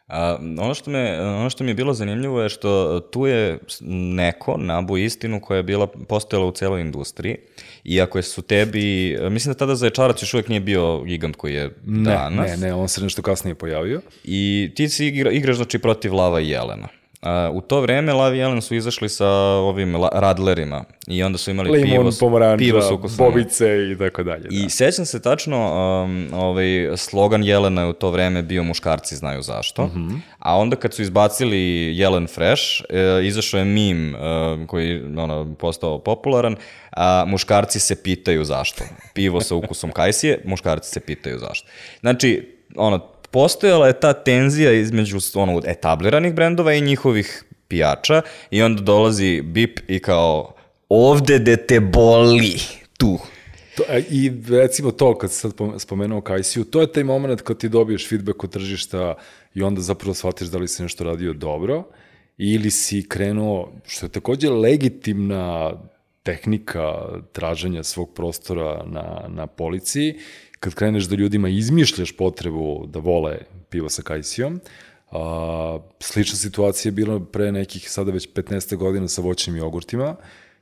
Speaker 1: A, ono, što me, ono što mi je bilo zanimljivo je što tu je neko nabu istinu koja je bila postojala u celoj industriji i ako su tebi, mislim da tada Zaječarac još uvijek nije bio gigant koji je danas.
Speaker 2: Ne, ne, ne, on se nešto kasnije pojavio.
Speaker 1: I ti si igra, igraš znači protiv Lava i Jelena. Uh, u to vreme Love i Jelen su izašli sa ovim la- radlerima i onda su imali
Speaker 2: Limon,
Speaker 1: pivo,
Speaker 2: pomoranđa,
Speaker 1: pivo s ukusom.
Speaker 2: bobice i tako dalje.
Speaker 1: I
Speaker 2: da.
Speaker 1: sećam se tačno, um, ovaj, slogan Jelena je u to vreme bio muškarci znaju zašto, mm-hmm. a onda kad su izbacili Jelen Fresh, e, izašao je mim e, koji ono, postao popularan, a muškarci se pitaju zašto. Pivo sa ukusom kajsije, muškarci se pitaju zašto. Znači, ono, postojala je ta tenzija između ono, etabliranih brendova i njihovih pijača i onda dolazi Bip i kao ovde de te boli, tu.
Speaker 2: To, I recimo to, kad sad spomenuo Kajsiju, to je taj moment kad ti dobiješ feedback od tržišta i onda zapravo shvatiš da li si nešto radio dobro ili si krenuo, što je takođe legitimna tehnika traženja svog prostora na, na policiji, kad kreneš da ljudima izmišljaš potrebu da vole pivo sa Kajsijom. A, slična situacija je bila pre nekih sada već petnaest godina sa voćnim jogurtima,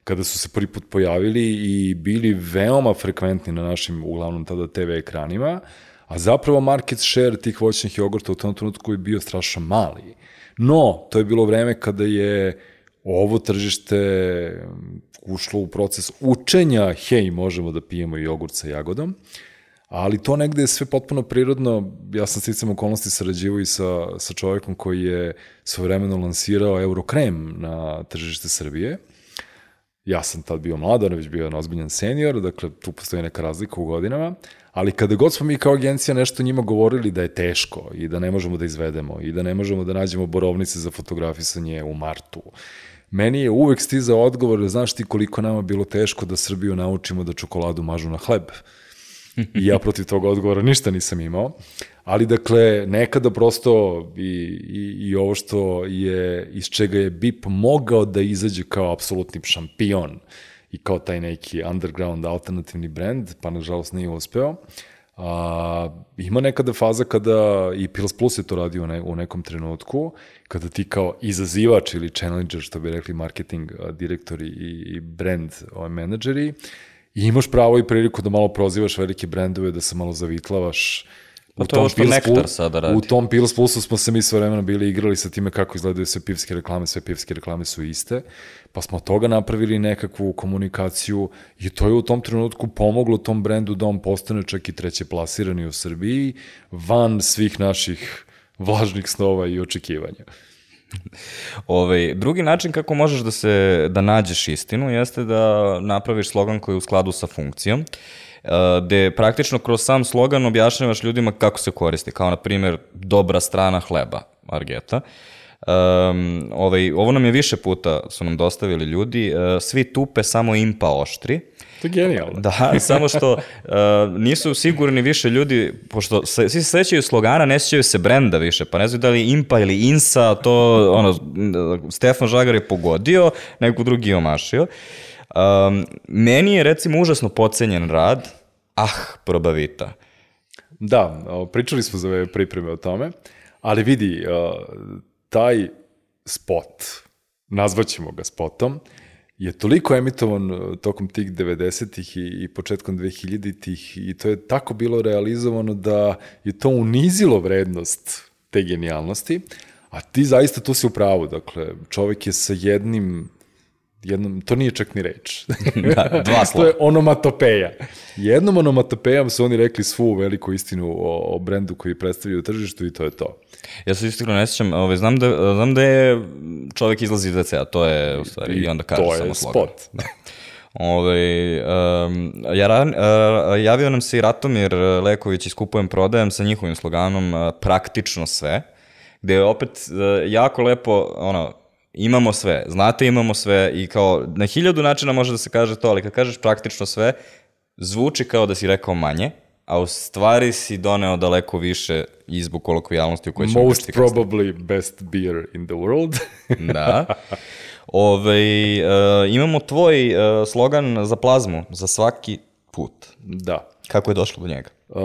Speaker 2: kada su se prvi put pojavili i bili veoma frekventni na našim, uglavnom tada te ve ekranima, a zapravo market share tih voćnih jogurta u tom trenutku je bio strašno mali. No, to je bilo vreme kada je ovo tržište ušlo u proces učenja, hej, možemo da pijemo jogurt sa jagodom, ali to negde je sve potpuno prirodno. Ja sam sticam okolnosti sarađivao i sa, sa čovjekom koji je svojevremeno lansirao Eurokrem na tržište Srbije. Ja sam tad bio mlad, on je već bio jedan ozbiljan senior, dakle tu postoji neka razlika u godinama, ali kada god smo mi kao agencija nešto njima govorili da je teško i da ne možemo da izvedemo i da ne možemo da nađemo borovnice za fotografisanje u martu, meni je uvek stizao odgovor, znaš ti koliko nama bilo teško da Srbiju naučimo da čokoladu mažu na hleb. I ja protiv toga odgovora ništa nisam imao. Ali dakle, nekada prosto i, i, i ovo što je, iz čega je Bip mogao da izađe kao apsolutni šampion i kao taj neki underground alternativni brand, pa nažalost nije uspeo. A, ima nekada faza kada i Pils Plus je to radio u, ne, u nekom trenutku, kada ti kao izazivač ili challenger, što bi rekli marketing direktori i, i brand menadžeri, i imaš pravo i priliku da malo prozivaš velike brendove, da se malo zavitlavaš.
Speaker 1: Pa to je ovo što Nektar sada radi.
Speaker 2: U tom Pils Plusu smo se mi sve vremena bili igrali sa time kako izgledaju sve pivske reklame, sve pivske reklame su iste, pa smo od toga napravili nekakvu komunikaciju i to je u tom trenutku pomoglo tom brendu da on postane čak i treće plasirani u Srbiji, van svih naših vlažnih snova i očekivanja.
Speaker 1: Ovaj, drugi način kako možeš da se da nađeš istinu jeste da napraviš slogan koji je u skladu sa funkcijom, gde praktično kroz sam slogan objašnjavaš ljudima kako se koristi, kao na primjer dobra strana hleba, Argeta. Um, ovaj, ovo nam je više puta su nam dostavili ljudi, uh, svi tupe, samo impa oštri.
Speaker 2: To je genijalno.
Speaker 1: Da, samo što uh, nisu sigurni više ljudi, pošto se, svi se sećaju slogana, ne sećaju se brenda više, pa ne znaju da li je impa ili insa, to ono, Stefan Žagar je pogodio, neko drugi je omašio. Um, meni je recimo užasno podcenjen rad, ah, Probavita.
Speaker 2: Da, pričali smo za ove pripreme o tome, ali vidi, taj spot, nazvaćemo ga spotom, je toliko emitovan tokom tih devedesetih i, i početkom dvehiljaditih i to je tako bilo realizovano da je to unizilo vrednost te genijalnosti, a ti zaista tu si u pravu, dakle, čovek je sa jednim Jednom, to nije čak ni reč.
Speaker 1: Da, dva slova.
Speaker 2: To je onomatopeja. Jednom onomatopejom su oni rekli svu veliku istinu o, o brendu koji predstavljaju tržištu i to je to.
Speaker 1: Ja se istikno ne sjećam, ovaj, znam, da, znam da je čovjek izlazi iz ve cea, to je u stvari, i, i onda kaže samo slogan. To je spot. Da. Ove, um, ja, uh, javio nam se i Ratomir Leković iz Kupujem Prodajem sa njihovim sloganom uh, praktično sve, gde je opet uh, jako lepo, ono, imamo sve, znate imamo sve i kao na hiljadu načina može da se kaže to, ali kad kažeš praktično sve, zvuči kao da si rekao manje, a u stvari si doneo daleko više i zbog kolokvijalnosti u kojoj ćemo
Speaker 2: Most probably best beer in the world.
Speaker 1: Da. Ove, uh, imamo tvoj uh, slogan za plazmu, za svaki put.
Speaker 2: Da.
Speaker 1: Kako je došlo do njega?
Speaker 2: Uh,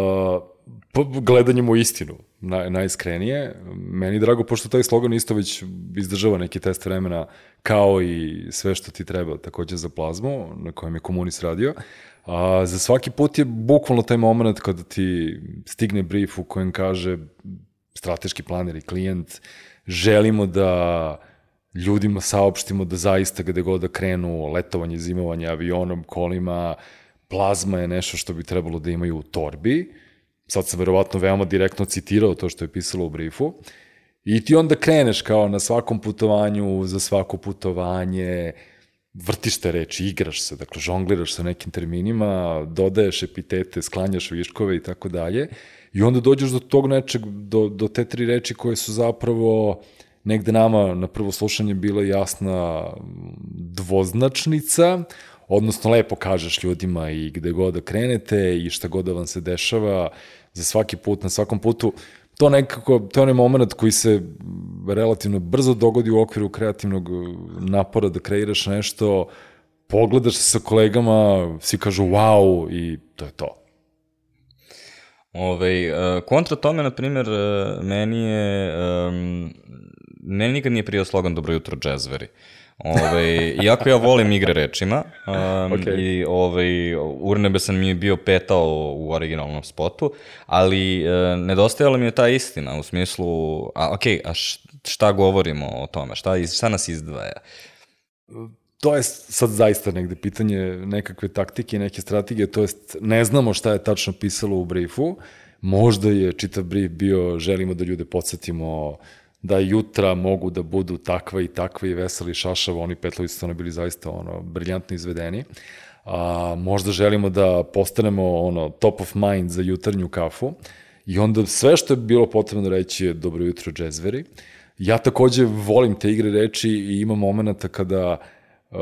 Speaker 2: gledanjem u istinu, naj, najiskrenije. Meni drago, pošto taj slogan isto već izdržava neki test vremena, kao i sve što ti treba takođe za plazmu, na kojem je Komunis radio. A za svaki put je bukvalno taj moment kada ti stigne brief u kojem kaže strateški planer i klijent, želimo da ljudima saopštimo da zaista gde god da krenu, letovanje, zimovanje, avionom, kolima, plazma je nešto što bi trebalo da imaju u torbi. Sad sam verovatno veoma direktno citirao to što je pisalo u briefu. I ti onda kreneš kao na svakom putovanju, za svako putovanje, vrtiš te reči, igraš se, dakle, žongliraš sa nekim terminima, dodaješ epitete, sklanjaš viškove i tako dalje. I onda dođeš do tog nečeg, do, do te tri reči koje su zapravo negde nama na prvo slušanje bila jasna dvoznačnica, odnosno lepo kažeš ljudima i gde god da krenete i šta god da vam se dešava za svaki put, na svakom putu. To nekako, to je onaj moment koji se relativno brzo dogodi u okviru kreativnog napora da kreiraš nešto, pogledaš se sa kolegama, svi kažu wow i to je to.
Speaker 1: Ove, kontra tome, na primjer, meni je, meni nikad nije prijao slogan Dobro jutro, džezveri. Ove, iako ja volim igre rečima, um, okay. i ove, urnebesan mi je bio petao u originalnom spotu, ali e, nedostajala mi je ta istina, u smislu, a ok, a šta govorimo o tome, šta, šta nas izdvaja?
Speaker 2: To je sad zaista negde pitanje nekakve taktike i neke strategije, to jest ne znamo šta je tačno pisalo u briefu, možda je čitav brief bio želimo da ljude podsjetimo da jutra mogu da budu takva i takva i veseli šašava, oni petlovi su ono bili zaista ono, briljantno izvedeni. A, možda želimo da postanemo ono, top of mind za jutarnju kafu i onda sve što je bilo potrebno reći je dobro jutro, džezveri. Ja takođe volim te igre reči i ima momenta kada uh,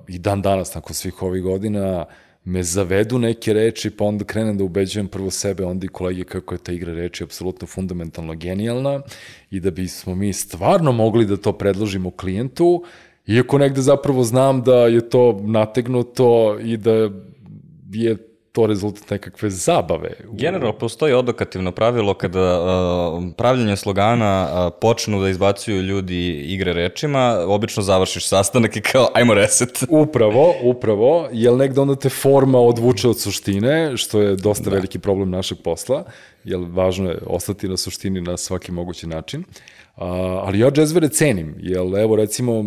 Speaker 2: i dan danas, nakon svih ovih godina, me zavedu neke reči, pa onda krenem da ubeđujem prvo sebe, onda i kolege kako je ta igra reči apsolutno fundamentalno genijalna i da bismo mi stvarno mogli da to predložimo klijentu, iako negde zapravo znam da je to nategnuto i da je to rezultat nekakve zabave.
Speaker 1: Generalno, postoji odokativno pravilo kada uh, pravljanje slogana uh, počnu da izbacuju ljudi igre rečima, obično završiš sastanak i kao, ajmo reset.
Speaker 2: Upravo, upravo, jer negde onda te forma odvuče od suštine, što je dosta da. veliki problem našeg posla, jer važno je ostati na suštini na svaki mogući način. Uh, ali ja džezvere cenim, jer evo recimo,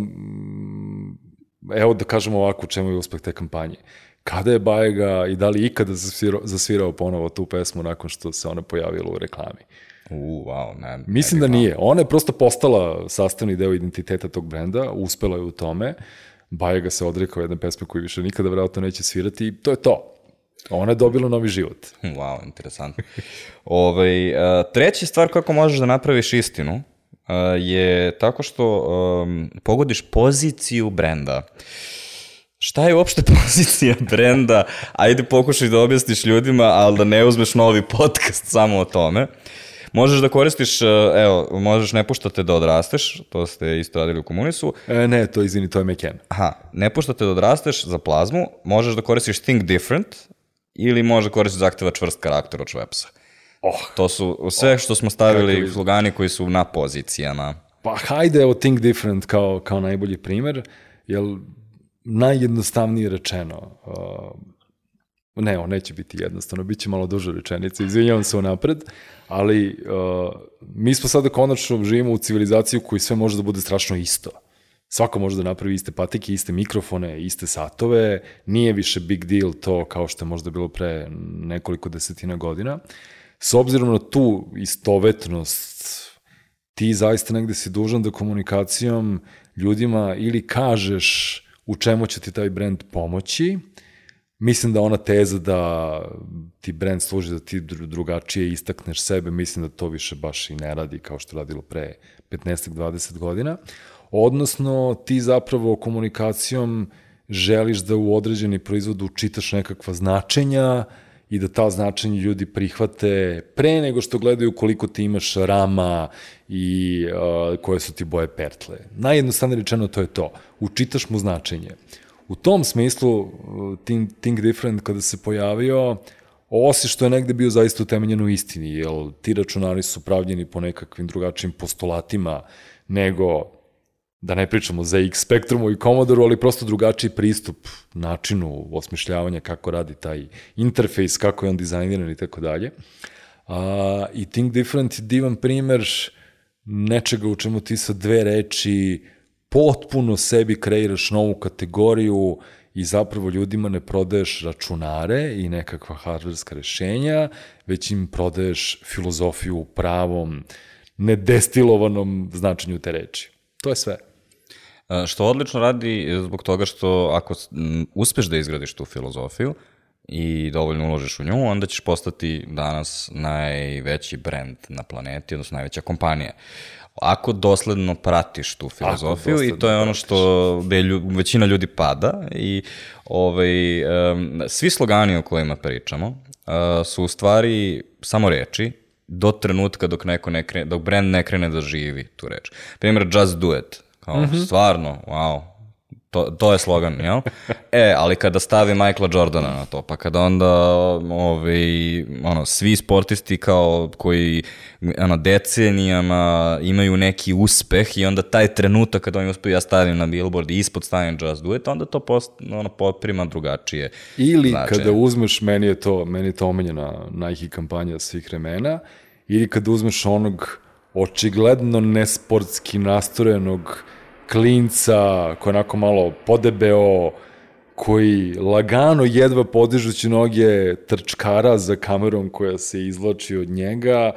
Speaker 2: evo da kažemo ovako u čemu je uspeh te kampanje. Kada je Bajega i da li ikada zasvirao, zasvirao ponovo tu pesmu nakon što se ona pojavila u reklami?
Speaker 1: U, wow, ne.
Speaker 2: Mislim
Speaker 1: ne
Speaker 2: da nije. Ona je prosto postala sastavni deo identiteta tog brenda, uspela je u tome. Bajega se odrekao jedne pesme koju više nikada vjerojatno neće svirati i to je to. Ona je dobila novi život.
Speaker 1: Wow, interesantno. Ove, treća stvar kako možeš da napraviš istinu je tako što um, pogodiš poziciju brenda. Šta je uopšte pozicija brenda? Ajde pokušaj da objasniš ljudima, ali da ne uzmeš novi podcast samo o tome. Možeš da koristiš, evo, možeš ne puštate da odrasteš, to ste isto radili u Komunisu.
Speaker 2: E, ne, to izvini, to je Meken.
Speaker 1: Aha, ne puštate da odrasteš za plazmu, možeš da koristiš think different ili možeš da koristiš zahteva čvrst karakter od Schweppesa.
Speaker 2: Oh,
Speaker 1: to su sve što smo stavili oh, slogani koji su na pozicijama.
Speaker 2: Pa hajde, evo think different kao, kao najbolji primer, jer najjednostavnije rečeno, uh, ne, on neće biti jednostavno, bit će malo duža rečenica, izvinjavam se unapred, ali uh, mi smo sada konačno živimo u civilizaciju koji sve može da bude strašno isto. Svako može da napravi iste patike, iste mikrofone, iste satove, nije više big deal to kao što je možda bilo pre nekoliko desetina godina. S obzirom na tu istovetnost, ti zaista negde si dužan da komunikacijom ljudima ili kažeš u čemu će ti taj brend pomoći. Mislim da ona teza da ti brend služi da ti drugačije istakneš sebe, mislim da to više baš i ne radi kao što radilo pre petnaest do dvadeset godina. Odnosno, ti zapravo komunikacijom želiš da u određeni proizvod učitaš nekakva značenja i da ta značenja ljudi prihvate pre nego što gledaju koliko ti imaš rama i uh, koje su ti boje pertle. Najjednostavnije rečeno to je to. Učitaš mu značenje. U tom smislu, Think, Think Different kada se pojavio, osim što je negde bio zaista utemeljen u istini, jer ti računari su pravljeni po nekakvim drugačijim postulatima nego, da ne pričamo za X Spectrumu i Commodoru, ali prosto drugačiji pristup načinu osmišljavanja kako radi taj interfejs, kako je on dizajniran i tako dalje. I Think Different je divan primer nečega u čemu ti sa dve reči potpuno sebi kreiraš novu kategoriju i zapravo ljudima ne prodaješ računare i nekakva hardverska rešenja, već im prodaješ filozofiju u pravom, nedestilovanom značenju te reči. To je sve.
Speaker 1: Što odlično radi zbog toga što ako uspeš da izgradiš tu filozofiju i dovoljno uložiš u nju, onda ćeš postati danas najveći brend na planeti, odnosno najveća kompanija. Ako dosledno pratiš tu filozofiju i to je ono što gde lju, većina ljudi pada i ovaj, um, svi slogani o kojima pričamo uh, su u stvari samo reči do trenutka dok neko ne krene, dok brand ne krene da živi tu reč. Primjer, just do it. Kao, mm-hmm. Stvarno, wow, to, to je slogan, jel? E, ali kada stavi Michaela Jordana na to, pa kada onda ovaj, ono, svi sportisti kao koji ono, decenijama imaju neki uspeh i onda taj trenutak kada oni uspeju, ja stavim na billboard i ispod stavim just do it, onda to post, ono, poprima drugačije.
Speaker 2: Ili značenje. Kada uzmeš, meni je to, meni je to omenjena Nike kampanja svih vremena, ili kada uzmeš onog očigledno nesportski nastrojenog klinca koji onako malo podebeo, koji lagano jedva podižući noge trčkara za kamerom koja se izvlači od njega,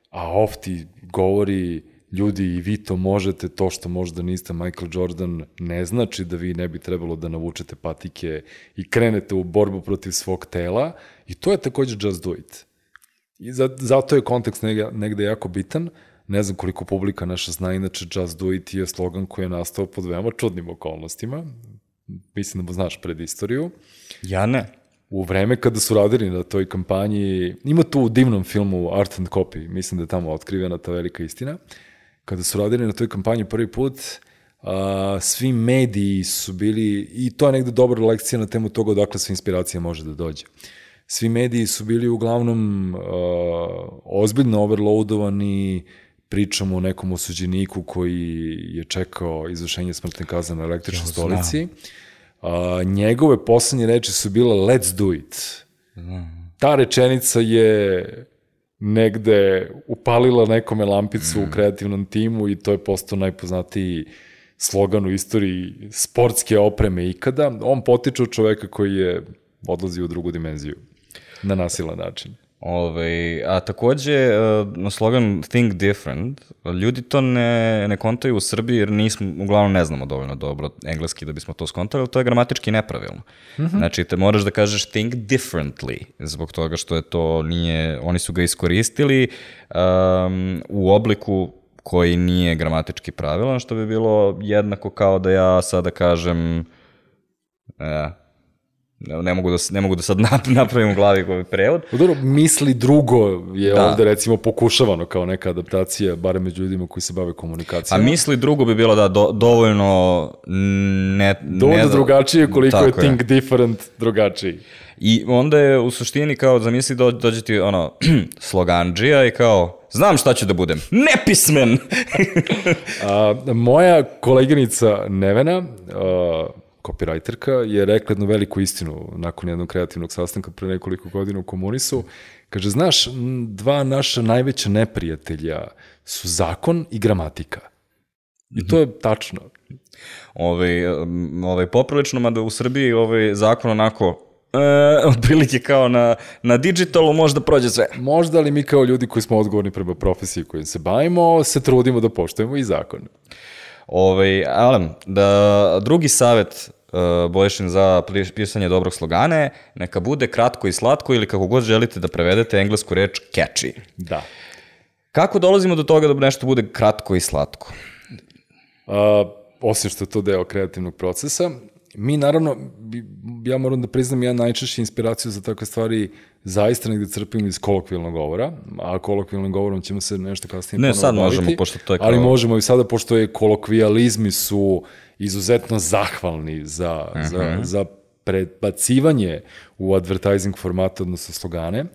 Speaker 2: a off ti govori ljudi i vi to možete, to što možda niste Michael Jordan ne znači da vi ne bi trebalo da navučete patike i krenete u borbu protiv svog tela i to je takođe just do it. I zato je kontekst negde, negde jako bitan. Ne znam koliko publika naša zna, inače Just Do It je slogan koji je nastao pod veoma čudnim okolnostima. Mislim da znaš pred istoriju.
Speaker 1: Ja ne.
Speaker 2: U vreme kada su radili na toj kampanji, ima tu u divnom filmu Art and Copy, mislim da je tamo otkrivena ta velika istina. Kada su radili na toj kampanji prvi put, a, svi mediji su bili, i to je negde dobra lekcija na temu toga odakle sva inspiracija može da dođe. Svi mediji su bili uglavnom uh, ozbiljno overloadovani, pričamo o nekom osuđeniku koji je čekao izvršenje smrtne kazne na električnoj stolici. Uh, njegove poslednje reči su bile let's do it. Mm. Ta rečenica je negde upalila nekome lampicu mm. u kreativnom timu i to je postao najpoznatiji slogan u istoriji sportske opreme ikada. On potiče od čoveka koji je odlazio u drugu dimenziju. Na nasilan način.
Speaker 1: Ove, a takođe, na slogan Think Different, ljudi to ne, ne kontaju u Srbiji jer nismo, uglavnom ne znamo dovoljno dobro engleski da bismo to skontali, ali to je gramatički nepravilno. Mm-hmm. Znači, te moraš da kažeš think differently, zbog toga što je to nije, oni su ga iskoristili um, u obliku koji nije gramatički pravilan, što bi bilo jednako kao da ja sada kažem uh, Ne mogu, da, ne mogu da sad napravim u glavi koji prevod.
Speaker 2: Dobro, misli drugo je da. Ovde recimo pokušavano kao neka adaptacija, barem među ljudima koji se bave komunikacijama.
Speaker 1: A misli drugo bi bilo da do, dovoljno ne...
Speaker 2: Dovoljno
Speaker 1: ne,
Speaker 2: drugačije koliko je think je. Different drugačiji.
Speaker 1: I onda je u suštini kao, zamisli do, dođe ti ono, sloganđija i kao, znam šta ću da budem, nepismen!
Speaker 2: a, moja koleginica Nevena, a, copywriterka, je rekla jednu veliku istinu nakon jednog kreativnog sastanka pre nekoliko godina u Komunisu. Kaže, znaš, dva naša najveća neprijatelja su zakon i gramatika. I to je tačno.
Speaker 1: Ove, ove, poprilično, mada u Srbiji ovaj zakon onako e, otprilike kao na, na digitalu možda prođe sve.
Speaker 2: Možda, ali mi kao ljudi koji smo odgovorni prema profesiji kojim se bavimo, se trudimo da poštujemo i zakon.
Speaker 1: Ove, ali, da, drugi savjet uh, Bojšin za pisanje dobrog slogana je neka bude kratko i slatko ili kako god želite da prevedete englesku reč catchy.
Speaker 2: Da.
Speaker 1: Kako dolazimo do toga da nešto bude kratko i slatko?
Speaker 2: Uh, osim što je to deo kreativnog procesa, mi naravno, ja moram da priznam, ja najčešće inspiraciju za takve stvari zaista negde crpim iz kolokvijalnog govora, a kolokvijalnim govorom ćemo se nešto kasnije
Speaker 1: ne, sad baviti, možemo, pošto to je kao...
Speaker 2: ali možemo i sada, pošto je kolokvijalizmi su izuzetno zahvalni za, uh-huh. za, za predbacivanje u advertising formatu, odnosno slogane,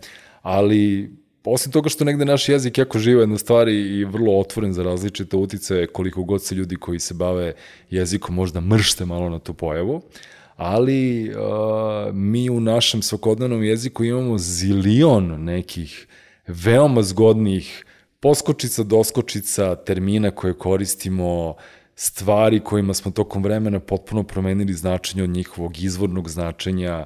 Speaker 2: ali osim toga što negde naš jezik jako živa jedna stvar i vrlo otvoren za različite utice, koliko god se ljudi koji se bave jezikom možda mršte malo na tu pojavu, ali uh, mi u našem svakodnevnom jeziku imamo zilion nekih veoma zgodnih poskočica, doskočica, termina koje koristimo stvari kojima smo tokom vremena potpuno promenili značenje od njihovog izvornog značenja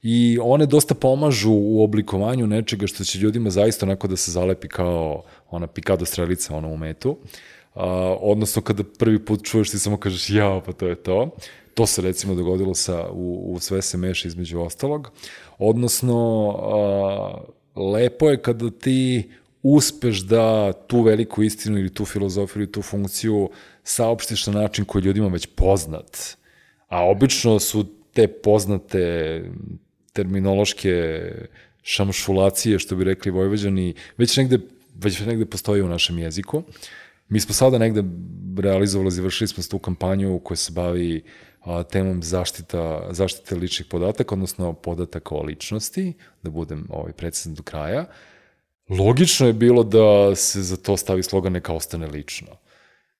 Speaker 2: i one dosta pomažu u oblikovanju nečega što će ljudima zaista onako da se zalepi kao ona pikado strelica ona u metu. Uh, odnosno kada prvi put čuješ ti samo kažeš jao pa to je to. To se recimo dogodilo sa, u, u Sve se meša između ostalog. Odnosno uh, lepo je kada ti uspeš da tu veliku istinu ili tu filozofiju ili tu funkciju saopštiš na način koji ljudima već poznat. A obično su te poznate terminološke šamšulacije, što bi rekli Vojvođani, već negde, već negde postoji u našem jeziku. Mi smo sada negde realizovali, završili smo tu kampanju koja se bavi a, temom zaštita, zaštite ličnih podataka, odnosno podataka o ličnosti, da budem ovaj, precizan do kraja. Logično je bilo da se za to stavi slogan neka ostane lično.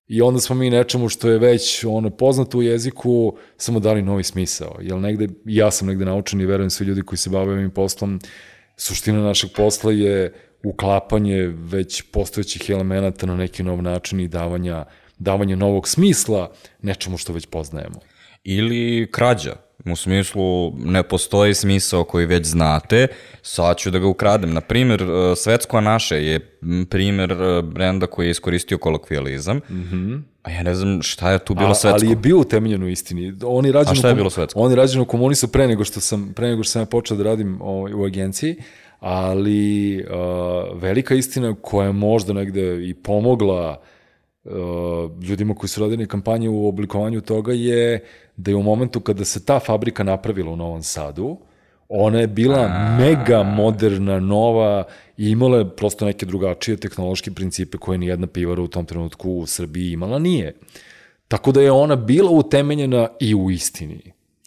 Speaker 2: I onda smo mi nečemu što je već ono poznato u jeziku samo dali novi smisao. Jer negde, ja sam negde naučen i verujem svi ljudi koji se bave ovim poslom, suština našeg posla je uklapanje već postojećih elemenata na neki nov način i davanja, davanje novog smisla nečemu što već poznajemo.
Speaker 1: Ili krađa. U smislu, ne postoji smisao koji već znate, sad ću da ga ukradem. Naprimjer, Svetsko naše je primjer brenda koji je iskoristio kolokvijalizam, mm-hmm. a ja ne znam šta je tu bilo a, svetsko.
Speaker 2: Ali je bio utemeljen u istini. On je
Speaker 1: a šta je bilo svetsko?
Speaker 2: On je rađen u komunisu pre nego što sam, pre nego što sam ja počeo da radim o, u agenciji, ali uh, velika istina koja je možda negde i pomogla uh, ljudima koji su radili kampanje u oblikovanju toga je da je u momentu kada se ta fabrika napravila u Novom Sadu, ona je bila A... mega moderna, nova i imala je prosto neke drugačije tehnološke principe koje nijedna pivara u tom trenutku u Srbiji imala nije. Tako da je ona bila utemeljena i u istini.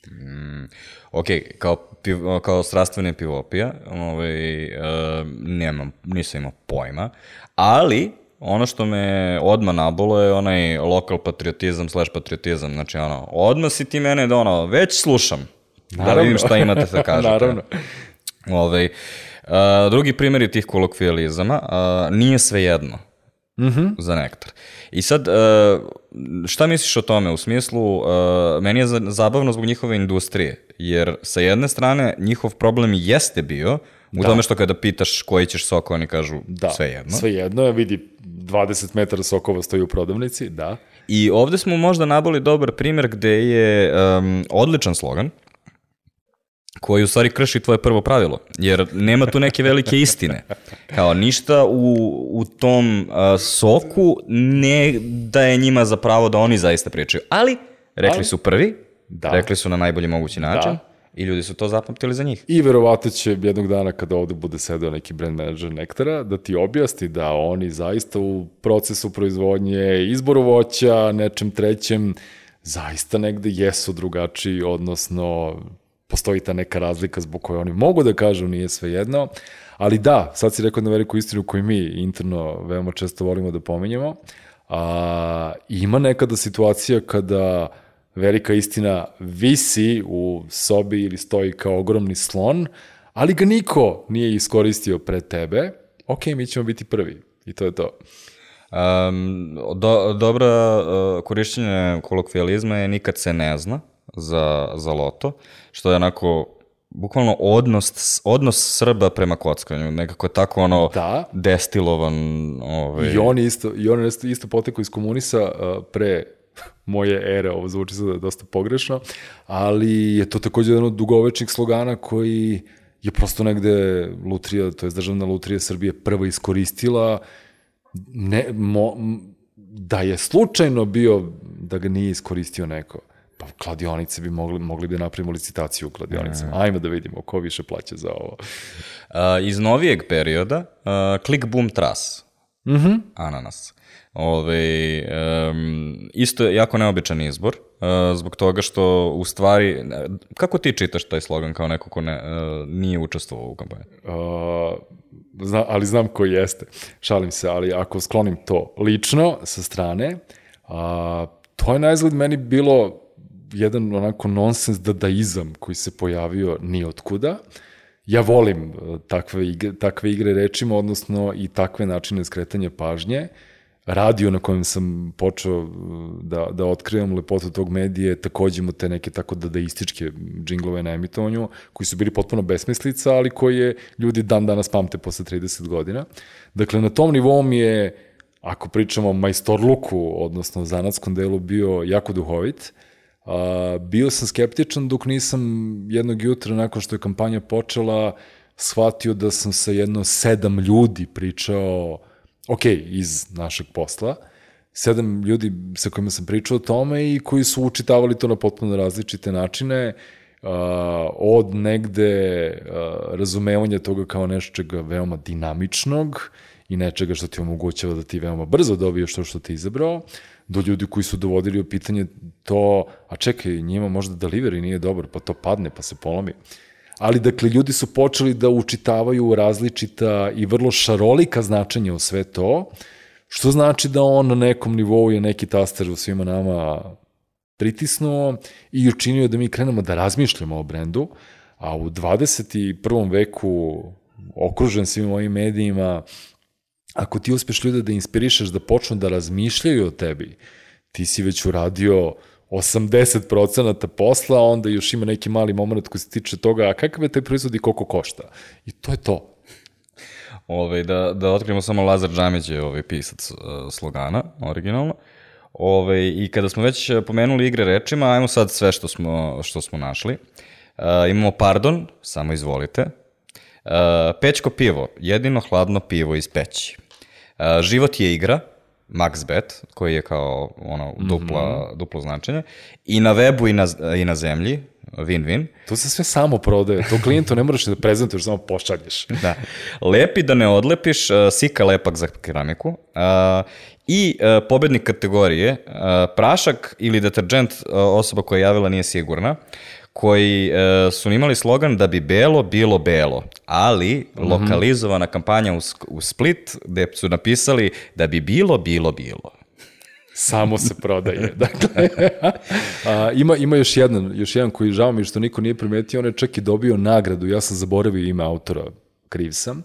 Speaker 1: Mm, ok, kao, piv, kao strastvene pivopija, ovaj, uh, nemam, nisam imao pojma, ali ono što me odmah nabolo je onaj lokal patriotizam slash patriotizam, znači ono, odmah si ti mene da ono, već slušam, naravno. Da vidim šta imate da kažete.
Speaker 2: Naravno.
Speaker 1: Ovaj, uh, drugi primjer tih kolokvijalizama, uh, nije sve jedno. Mm-hmm. Za nektar. I sad, šta misliš o tome? U smislu, meni je zabavno zbog njihove industrije, jer sa jedne strane njihov problem jeste bio u da. tome što kada pitaš koji ćeš sok, oni kažu da. sve jedno.
Speaker 2: Sve jedno, ja vidi dvadeset metara sokova stoji u prodavnici, da.
Speaker 1: I ovde smo možda naboli dobar primjer gde je um, odličan slogan, koji u stvari krši tvoje prvo pravilo, jer nema tu neke velike istine. Kao ništa u, u tom uh, soku ne daje njima za pravo da oni zaista pričaju, ali rekli su prvi, da. rekli su na najbolji mogući način da. i ljudi su to zapamtili za njih.
Speaker 2: I verovatno će jednog dana kada ovde bude sedeo neki brand manager Nektara da ti objasni da oni zaista u procesu proizvodnje, izboru voća, nečem trećem, zaista negde jesu drugačiji, odnosno postoji ta neka razlika zbog koje oni mogu da kažu nije sve jedno, ali da, sad si rekao na veliku istinu koju mi interno veoma često volimo da pominjemo, a, ima nekada situacija kada velika istina visi u sobi ili stoji kao ogromni slon, ali ga niko nije iskoristio pre tebe, ok, mi ćemo biti prvi i to je to.
Speaker 1: Um, do, dobra uh, korišćenje kolokvijalizma je nikad se ne zna za, za loto, što je onako bukvalno odnos, odnos Srba prema kockanju, nekako tako ono da. destilovan. Ovaj...
Speaker 2: I on isto, i on isto, isto potekao iz komunisa uh, pre moje ere, ovo zvuči sada dosta pogrešno, ali je to takođe jedan od dugovečnih slogana koji je prosto negde Lutrija, to je Državna lutrija Srbije prva iskoristila, ne, mo, da je slučajno bio da ga nije iskoristio neko. Pa kladionice bi mogli, mogli bi napravimo licitaciju u kladionicama. Ajmo da vidimo ko više plaća za ovo.
Speaker 1: Uh, iz novijeg perioda, uh, Click Boom Tras.
Speaker 2: Mm-hmm.
Speaker 1: Ananas. Ove, um, isto je jako neobičan izbor, uh, zbog toga što u stvari, kako ti čitaš taj slogan kao neko ko ne, uh, nije učestvovao u kampanji?
Speaker 2: Uh, zna, ali znam ko jeste. Šalim se, ali ako sklonim to lično sa strane, uh, to je na izgled meni bilo jedan onako nonsens dadaizam koji se pojavio nijotkuda. Ja volim takve igre, takve igre rečima, odnosno i takve načine skretanja pažnje. radio na kojem sam počeo da, da otkrivam lepotu tog medije, takođe imao te neke tako dadaističke džinglove na emitovanju, koji su bili potpuno besmislica, ali koje ljudi dan danas pamte posle trideset godina. Dakle, na tom nivou mi je, ako pričamo o majstorluku, odnosno zanatskom delu, bio jako duhovit. Uh, bio sam skeptičan dok nisam jednog jutra, nakon što je kampanja počela, shvatio da sam sa jedno sedam ljudi pričao, ok, iz našeg posla, sedam ljudi sa kojima sam pričao o tome i koji su učitavali to na potpuno različite načine, uh, od negde uh, razumevanja toga kao nečega veoma dinamičnog i nečega što ti omogućava da ti veoma brzo dobiješ to što ti izabrao, do ljudi koji su dovodili u pitanje to, a čekaj, njima možda delivery nije dobar, pa to padne, pa se polomi. Ali, dakle, ljudi su počeli da učitavaju različita i vrlo šarolika značenja u sve to, što znači da on na nekom nivou je neki taster u svima nama pritisnuo i učinio da mi krenemo da razmišljamo o brendu, a u dvadeset prvom veku, okružen svim ovim medijima, ako ti uspeš ljude da inspirišeš da počnu da razmišljaju o tebi, ti si već uradio osamdeset procenata posla, onda još ima neki mali moment koji se tiče toga, a kakav je taj proizvod i koliko košta. I to je to.
Speaker 1: Ove, da, da otkrijemo samo Lazar Džamić je ovaj pisac uh, slogana, originalno. Ove, I kada smo već pomenuli igre rečima, ajmo sad sve što smo, što smo našli. Uh, imamo pardon, samo izvolite. Uh, Pećko pivo, jedino hladno pivo iz peći. Uh, život je igra, Max Bet, koji je kao ono dupla, mm-hmm. duplo značenje. I na webu i na, i na zemlji, win-win.
Speaker 2: To se sve samo prodaje, to klijentu ne moraš da prezentuješ, samo pošalješ.
Speaker 1: Da. Lepi da ne odlepiš, uh, Sika lepak za keramiku. Uh, I uh, pobednik kategorije, uh, prašak ili deterđent, uh, osoba koja je javila nije sigurna, koji uh, su imali slogan da bi belo bilo belo, ali mm-hmm. lokalizovana kampanja u, u Split gde su napisali da bi bilo bilo bilo.
Speaker 2: Samo se prodaje. Dakle, a, ima, ima još jedan, još jedan koji žao mi što niko nije primetio, on je čak i dobio nagradu, ja sam zaboravio ime autora, kriv sam,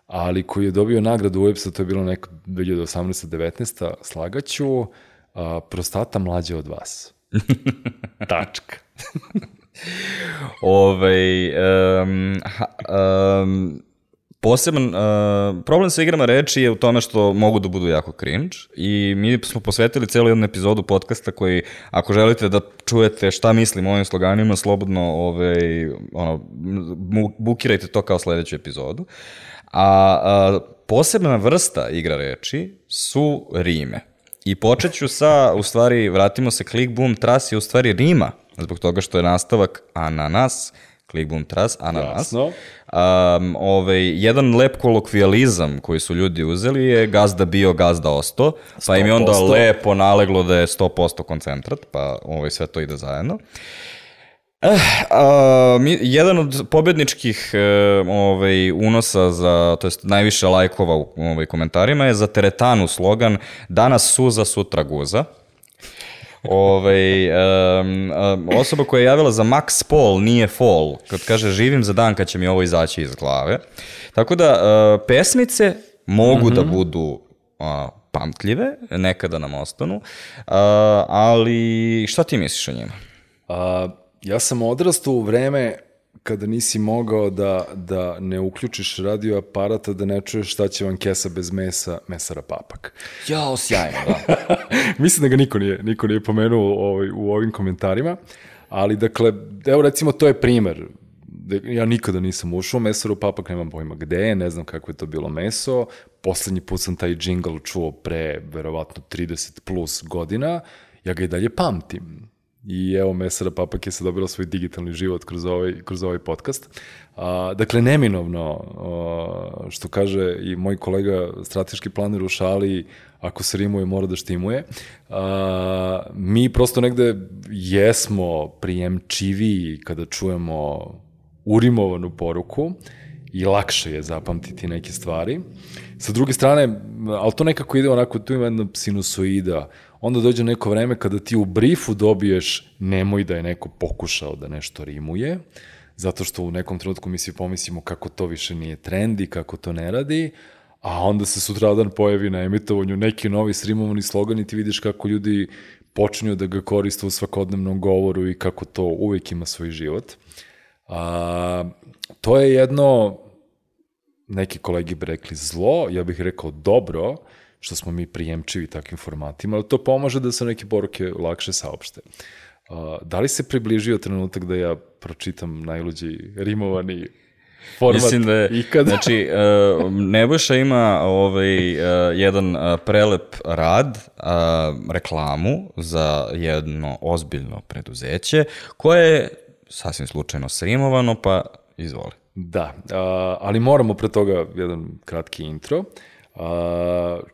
Speaker 2: ali koji je dobio nagradu u U E P S-a, to je bilo neka dve hiljade osamnaesta devetnaesta slagaću, a, prostata mlađa od vas. Tačka.
Speaker 1: Ove, um, um, poseban uh, problem sa igrama reči je u tome što mogu da budu jako cringe i mi smo posvetili celu jednu epizodu podcasta koji, ako želite da čujete šta mislim o ovim sloganima, slobodno ovaj, ono, bukirajte to kao sledeću epizodu. A, a posebna vrsta igra reči su rime. I počet ću sa, u stvari, vratimo se, klik, bum, tras je u stvari rima, zbog toga što je nastavak ananas, klik, bum, tras, ananas. Um, ovaj, jedan lep kolokvijalizam koji su ljudi uzeli je gazda bio, gazda osto, pa im je onda lepo naleglo da je sto posto koncentrat, pa ovaj, sve to ide zajedno. Eh, a, mi, jedan od pobedničkih e, ovaj, unosa, za, to jest najviše lajkova u ovaj, komentarima je za teretanu slogan danas suza, sutra guza. Ovaj, um, um, osoba koja je javila za Max Paul nije fall, kad kaže živim za dan kad će mi ovo izaći iz glave. Tako da uh, pesmice mogu mm-hmm. da budu uh, pamtljive, nekada nam ostanu, uh, ali šta ti misliš o njima?
Speaker 2: Uh, ja sam odrastao u vreme kada nisi mogao da, da ne uključiš radio aparata, da ne čuješ šta će vam kesa bez mesa, mesara papak.
Speaker 1: Jao, sjajno, da.
Speaker 2: Mislim da ga niko nije, niko nije pomenuo ovaj, u ovim komentarima, ali dakle, evo recimo to je primer. Ja nikada nisam ušao u mesaru papak, nemam pojma gde je, ne znam kako je to bilo meso. Poslednji put sam taj džingl čuo pre verovatno trideset plus godina, ja ga i dalje pamtim. I evo, mesara papak je sad dobila svoj digitalni život kroz ovaj, kroz ovaj podcast. A, dakle, neminovno, a, što kaže i moj kolega strateški planer u šali, ako se rimuje, mora da štimuje. A, mi prosto negde jesmo prijemčiviji kada čujemo urimovanu poruku i lakše je zapamtiti neke stvari. Sa druge strane, ali to nekako ide onako, tu ima jedna sinusoida, onda dođe neko vreme kada ti u briefu dobiješ nemoj da je neko pokušao da nešto rimuje, zato što u nekom trenutku mi svi pomislimo kako to više nije trend i kako to ne radi, a onda se sutradan pojavi na emitovanju neki novi streamovani slogan i ti vidiš kako ljudi počinju da ga koriste u svakodnevnom govoru i kako to uvek ima svoj život. A, to je jedno, neki kolegi bi rekli zlo, ja bih rekao dobro, što smo mi prijemčivi takvim formatima, ali to pomaže da se neke poruke lakše saopšte. A, da li se približio trenutak da ja pročitam najluđi rimovani format
Speaker 1: Mislim da je,
Speaker 2: ikada?
Speaker 1: Znači, uh, Nebojša ima ovaj, uh, jedan uh, prelep rad, uh, reklamu za jedno ozbiljno preduzeće, koje je sasvim slučajno srimovano, pa izvoli.
Speaker 2: Da, uh, ali moramo pre toga jedan kratki intro. Uh,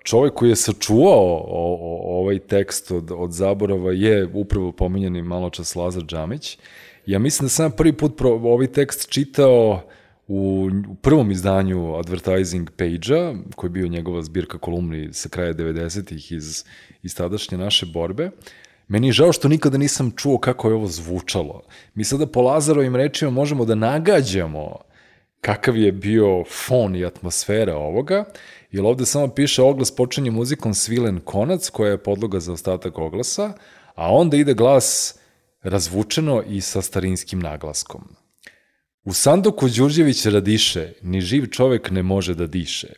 Speaker 2: čovjek koji je sačuvao o, o, ovaj tekst od, od zaborava je upravo pominjani malo čas Lazar Džamić. Ja mislim da sam prvi put pro, ovaj tekst čitao u, u prvom izdanju Advertising Page-a, koji je bio njegova zbirka kolumni sa kraja devedesetih iz, iz tadašnje naše borbe. Meni je žao što nikada nisam čuo kako je ovo zvučalo. Mi sada po Lazarovim rečima možemo da nagađamo kakav je bio fon i atmosfera ovoga, jer ovde samo piše oglas počinje muzikom svilen konac, koja je podloga za ostatak oglasa, a onda ide glas razvučeno i sa starinskim naglaskom. U sanduku Đurđević radiše, ni živ čovek ne može da diše.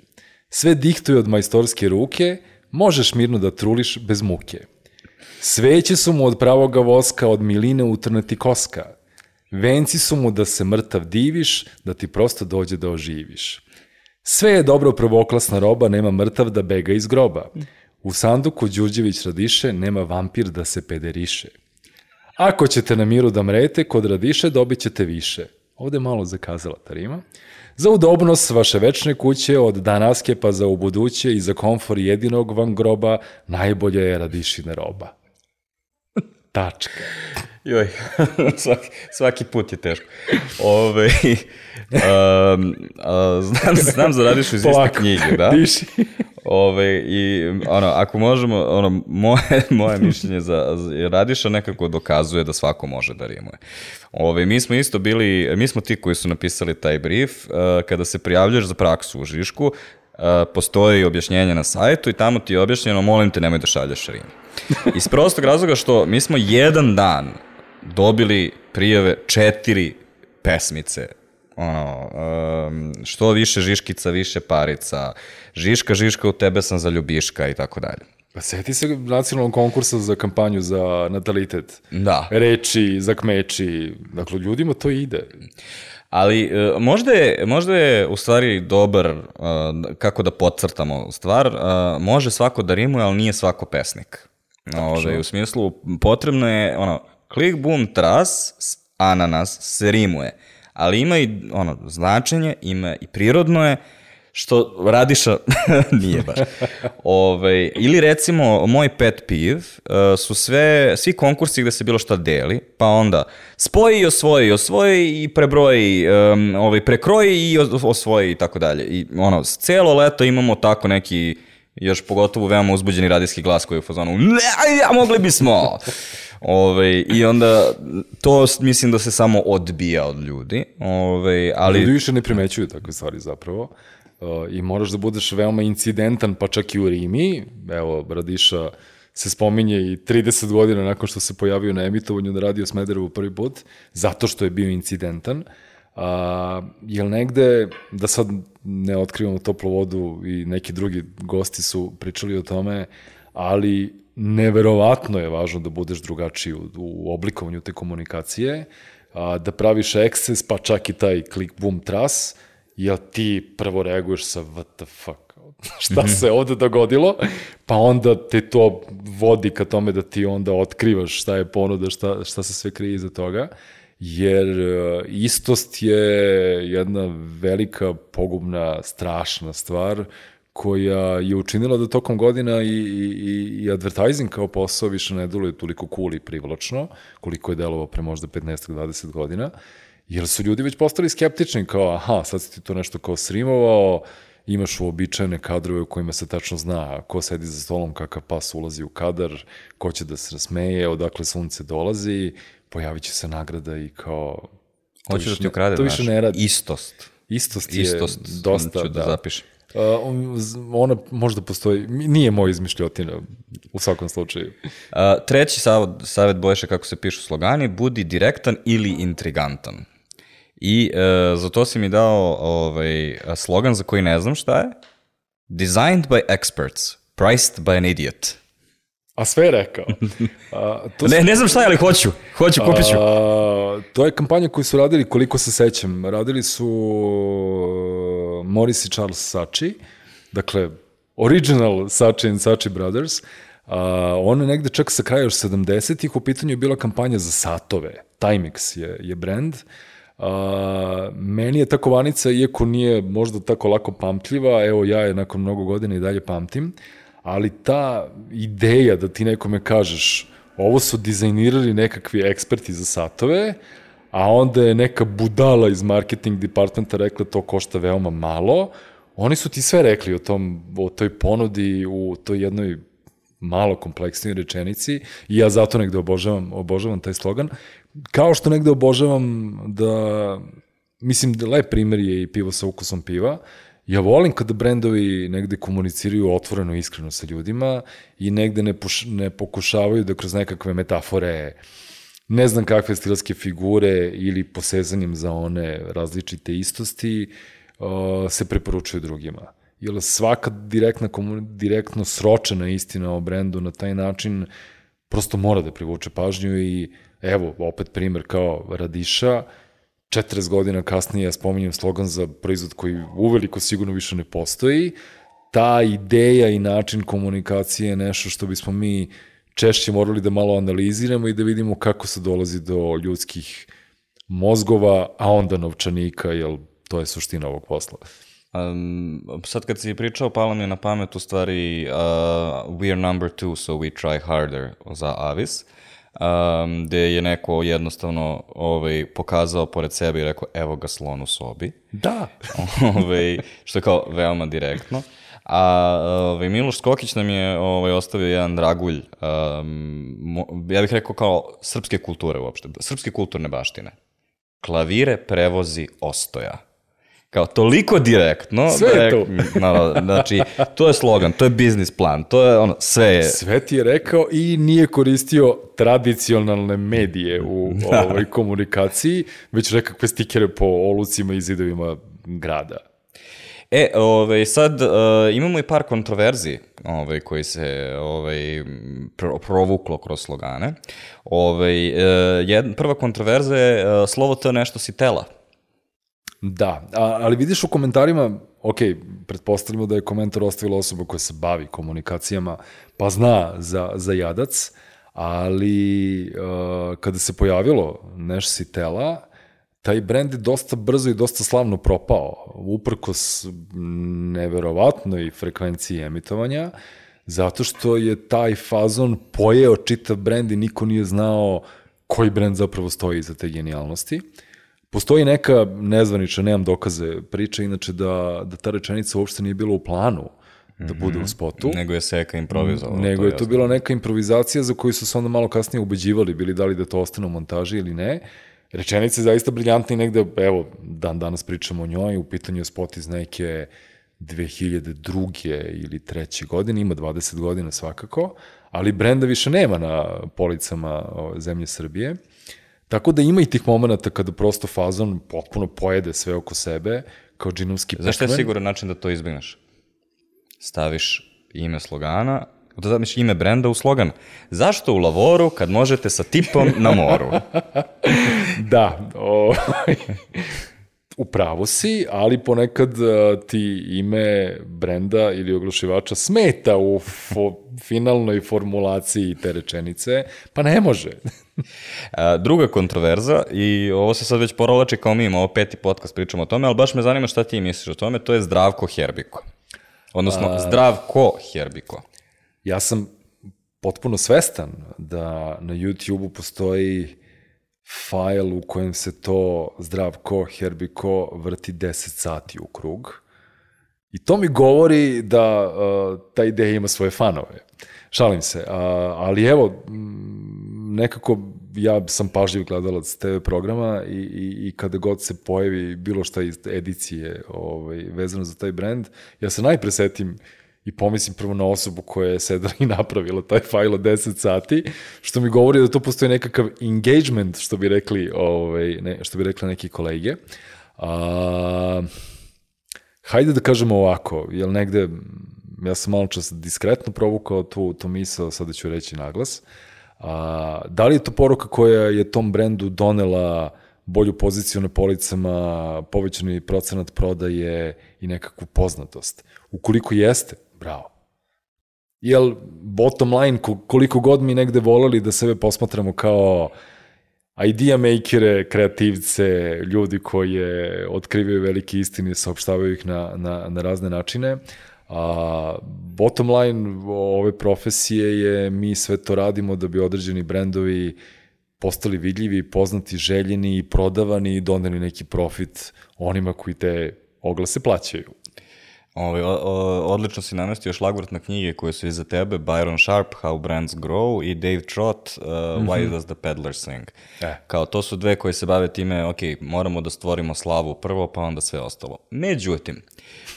Speaker 2: Sve dihtuje od majstorske ruke, možeš mirno da truliš bez muke. Sveće su mu od pravoga voska, od miline utrnati koska. Venci su mu da se mrtav diviš, da ti prosto dođe da oživiš. Sve je dobro prvoklasna roba, nema mrtav da bega iz groba. U sanduku Đurđević radiše, nema vampir da se pederiše. Ako ćete na miru da mrete, kod radiše dobit ćete više. Ovde je malo zakazala ta rima. Za udobnost vaše večne kuće, od danaske pa za ubuduće i za komfor jedinog vam groba, najbolje je radišina roba. Tačka.
Speaker 1: Joj, svaki, svaki put je teško. Ove, um, a, znam, znam za Radišu iz iste knjige, da?
Speaker 2: Diši.
Speaker 1: Ove, i ono, ako možemo, ono, moje, moje mišljenje za, za Radiša nekako dokazuje da svako može da rimuje. Ove, mi smo isto bili, mi smo ti koji su napisali taj brief, uh, kada se prijavljaš za praksu u Žišku, uh, postoji objašnjenje na sajtu i tamo ti je objašnjeno, molim te, nemoj da šalješ rim. Iz prostog razloga što mi smo jedan dan dobili prijave četiri pesmice. Ono, um, što više Žiškica, više parica, Žiška, Žiška, u tebe sam za ljubiška i tako dalje.
Speaker 2: Pa seti se nacionalnog konkursa za kampanju za natalitet.
Speaker 1: Da.
Speaker 2: Reči, za kmeči. Dakle, ljudima to ide.
Speaker 1: Ali uh, možda, je, možda je u stvari dobar, uh, kako da podcrtamo stvar, uh, može svako da rimuje, ali nije svako pesnik. Ove, u smislu, potrebno je, ono, klik, bum, tras, ananas, se rimuje, ali ima i, ono, značenje, ima i prirodno je, što Radiša nije baš. Ove, ili recimo, moj pet piv uh, su sve, svi konkursi gde se bilo šta deli, pa onda spoji i osvoji, osvoji i prebroji, um, ovaj, prekroji i osvoji i tako dalje. I ono, celo leto imamo tako neki, još pogotovo veoma uzbuđeni radijski glas koji je u fazonu a mogli bismo. Ove, I onda to mislim da se samo odbija od ljudi. Ove, ali...
Speaker 2: Ljudi više ne primećuju takve stvari zapravo. Uh, I moraš da budeš veoma incidentan, pa čak i u rimi. Evo, Radiša se spominje i trideset godina nakon što se pojavio na emitovanju na Radio Smederevu prvi put, zato što je bio incidentan. A, jel negde, da sad ne otkrivamo toplu vodu i neki drugi gosti su pričali o tome, ali neverovatno je važno da budeš drugačiji u, u oblikovanju te komunikacije, a, da praviš eksces, pa čak i taj klik, bum, tras, jel ti prvo reaguješ sa what the fuck, šta se ovde dogodilo, pa onda te to vodi ka tome da ti onda otkrivaš šta je ponuda, šta, šta se sve krije iza toga, jer istost je jedna velika, pogubna, strašna stvar koja je učinila da tokom godina i, i, i advertising kao posao više ne deluje toliko cool i privlačno, koliko je delovao pre možda petnaest do dvadeset godina, jer su ljudi već postali skeptični, kao aha, sad si ti to nešto kao srimovao, imaš uobičajene kadrove u kojima se tačno zna ko sedi za stolom, kakav pas ulazi u kadar, ko će da se rasmeje, odakle sunce dolazi, pojavit će se nagrada i kao...
Speaker 1: Hoću da ti ukrade,
Speaker 2: to više ne radi.
Speaker 1: Istost.
Speaker 2: Istost je
Speaker 1: Istost
Speaker 2: dosta,
Speaker 1: ću da, da zapišem.
Speaker 2: Uh, ona možda postoji, nije moja izmišljotina u svakom slučaju.
Speaker 1: Uh, treći savjet, savjet Bojše kako se pišu slogani, budi direktan ili intrigantan. I uh, za to si mi dao ovaj, slogan za koji ne znam šta je. Designed by experts, priced by an idiot.
Speaker 2: A sve je rekao. A,
Speaker 1: to ne, ne znam šta je, ali hoću. Hoću, kupit ću.
Speaker 2: A, to je kampanja koju su radili, koliko se sećam. Radili su Morris i Charles Saatchi, dakle, original Saatchi and Saatchi Brothers. A, ono je negde čak sa kraja još sedamdesetih, u pitanju je bila kampanja za satove. Timex je, je brand. A, meni je ta kovanica, iako nije možda tako lako pamtljiva, evo ja je nakon mnogo godina i dalje pamtim, ali ta ideja da ti nekome kažeš ovo su dizajnirali nekakvi eksperti za satove, a onda je neka budala iz marketing departmenta rekla to košta veoma malo, oni su ti sve rekli o, tom, o toj ponudi u toj jednoj malo kompleksnoj rečenici i ja zato negde obožavam, obožavam taj slogan. Kao što negde obožavam da, mislim da lep primer je i pivo sa ukusom piva. Ja volim kada brendovi negde komuniciraju otvoreno i iskreno sa ljudima i negde ne, puš, ne pokušavaju da kroz nekakve metafore, ne znam kakve stilske figure ili posezanjem za one različite istosti uh, se preporučuju drugima. Jer svaka direktna, direktno sročena istina o brendu na taj način prosto mora da privuče pažnju i evo, opet primer kao Radiša, četrdeset godina kasnije ja spominjem slogan za proizvod koji uveliko sigurno više ne postoji. Ta ideja i način komunikacije je nešto što bismo mi češće morali da malo analiziramo i da vidimo kako se dolazi do ljudskih mozgova, a onda novčanika, jer to je suština ovog posla.
Speaker 1: Um, sad kad si pričao, palo mi je na pamet u stvari uh, We are number two, so we try harder za Avis. Um, gde je neko jednostavno ovaj, pokazao pored sebe i rekao evo ga slon u sobi.
Speaker 2: Da.
Speaker 1: ovaj, što je kao veoma direktno. A ovaj, Miloš Skokić nam je ovaj, ostavio jedan dragulj, um, ja bih rekao kao srpske kulture uopšte, srpske kulturne baštine. Klavire prevozi Ostoja. Kao toliko direktno.
Speaker 2: Sve je to.
Speaker 1: No, znači, to je slogan, to je biznis plan, to je ono, sve je.
Speaker 2: Sve ti je rekao i nije koristio tradicionalne medije u da. ovoj komunikaciji, već nekakve stikere po olucima i zidovima grada.
Speaker 1: E, ovaj, sad uh, imamo i par kontroverzi ovaj, koji se ovaj, pro, provuklo kroz slogane. Ovaj, uh, jedna, prva kontroverza je uh, slovo T nešto si tela.
Speaker 2: Da, a, ali vidiš u komentarima, ok, pretpostavljamo da je komentar ostavila osoba koja se bavi komunikacijama, pa zna za, za jadac, ali uh, kada se pojavilo Neš si tela, taj brend je dosta brzo i dosta slavno propao, uprkos neverovatnoj frekvenciji emitovanja, zato što je taj fazon pojeo čitav brend i niko nije znao koji brend zapravo stoji iza te genijalnosti. Postoji neka nezvanična, nemam dokaze, priča, inače da, da ta rečenica uopšte nije bila u planu da bude u spotu.
Speaker 1: Nego je Seka improvizovao.
Speaker 2: Nego je to jasno. Bila neka improvizacija za koju su se onda malo kasnije ubeđivali, bili da li da to ostane u montaži ili ne. Rečenica je zaista briljantna i negde, evo, dan danas pričamo o njoj, u pitanju je spot iz neke dve hiljade druge ili treće godine, ima dvadeset godina svakako, ali brenda više nema na policama zemlje Srbije. Tako da ima i tih momenta kada prosto fazon potpuno pojede sve oko sebe, kao džinovski pekmen.
Speaker 1: Zašto je siguran način da to izbjegneš? Staviš ime slogana, da zamiš ime brenda u slogan. Zašto u lavoru kad možete sa tipom na moru?
Speaker 2: Da, o, upravo si, ali ponekad ti ime brenda ili oglašivača smeta u fo, finalnoj formulaciji te rečenice, pa ne može.
Speaker 1: A, druga kontroverza, i ovo se sad već porolači kao mi imamo, ovo peti podcast pričamo o tome, ali baš me zanima šta ti misliš o tome, to je Zdravko Herbiko. Odnosno, A, Zdravko Herbiko.
Speaker 2: Ja sam potpuno svestan da na YouTube-u postoji fajl u kojem se to Zdravko Herbiko vrti deset sati u krug. I to mi govori da uh, ta ideja ima svoje fanove. Šalim se, uh, ali evo, nekako ja sam pažljiv gledalac te ve programa i, i, i kada god se pojavi bilo šta iz edicije ovaj, vezano za taj brand, ja se najpre setim i pomislim prvo na osobu koja je sedela i napravila taj fajl od deset sati, što mi govori da to postoji nekakav engagement, što bi rekli, ovaj, ne, što bi rekli neki kolege. A, hajde da kažemo ovako, jel negde, ja sam malo čas diskretno provukao tu, tu misao, sada ću reći naglas. A, da li je to poruka koja je tom brendu donela bolju poziciju na policama, povećani procenat prodaje i nekakvu poznatost? Ukoliko jeste, bravo. Jel, bottom line, koliko god mi negde voleli da sebe posmatramo kao idea makere, kreativce, ljudi koji otkrivaju velike istine i saopštavaju ih na, na, na razne načine, a bottom line ove profesije je mi sve to radimo da bi određeni brendovi postali vidljivi, poznati, željeni i prodavani i doneli neki profit onima koji te oglase plaćaju.
Speaker 1: Ove, o, o, odlično si namestio šlagvort na knjige koje su iza tebe, Byron Sharp, How Brands Grow i Dave Trott, uh, Why mm-hmm. Does the Peddler Sing. E. Kao to su dve koje se bave time, ok, moramo da stvorimo slavu prvo, pa onda sve ostalo. Međutim,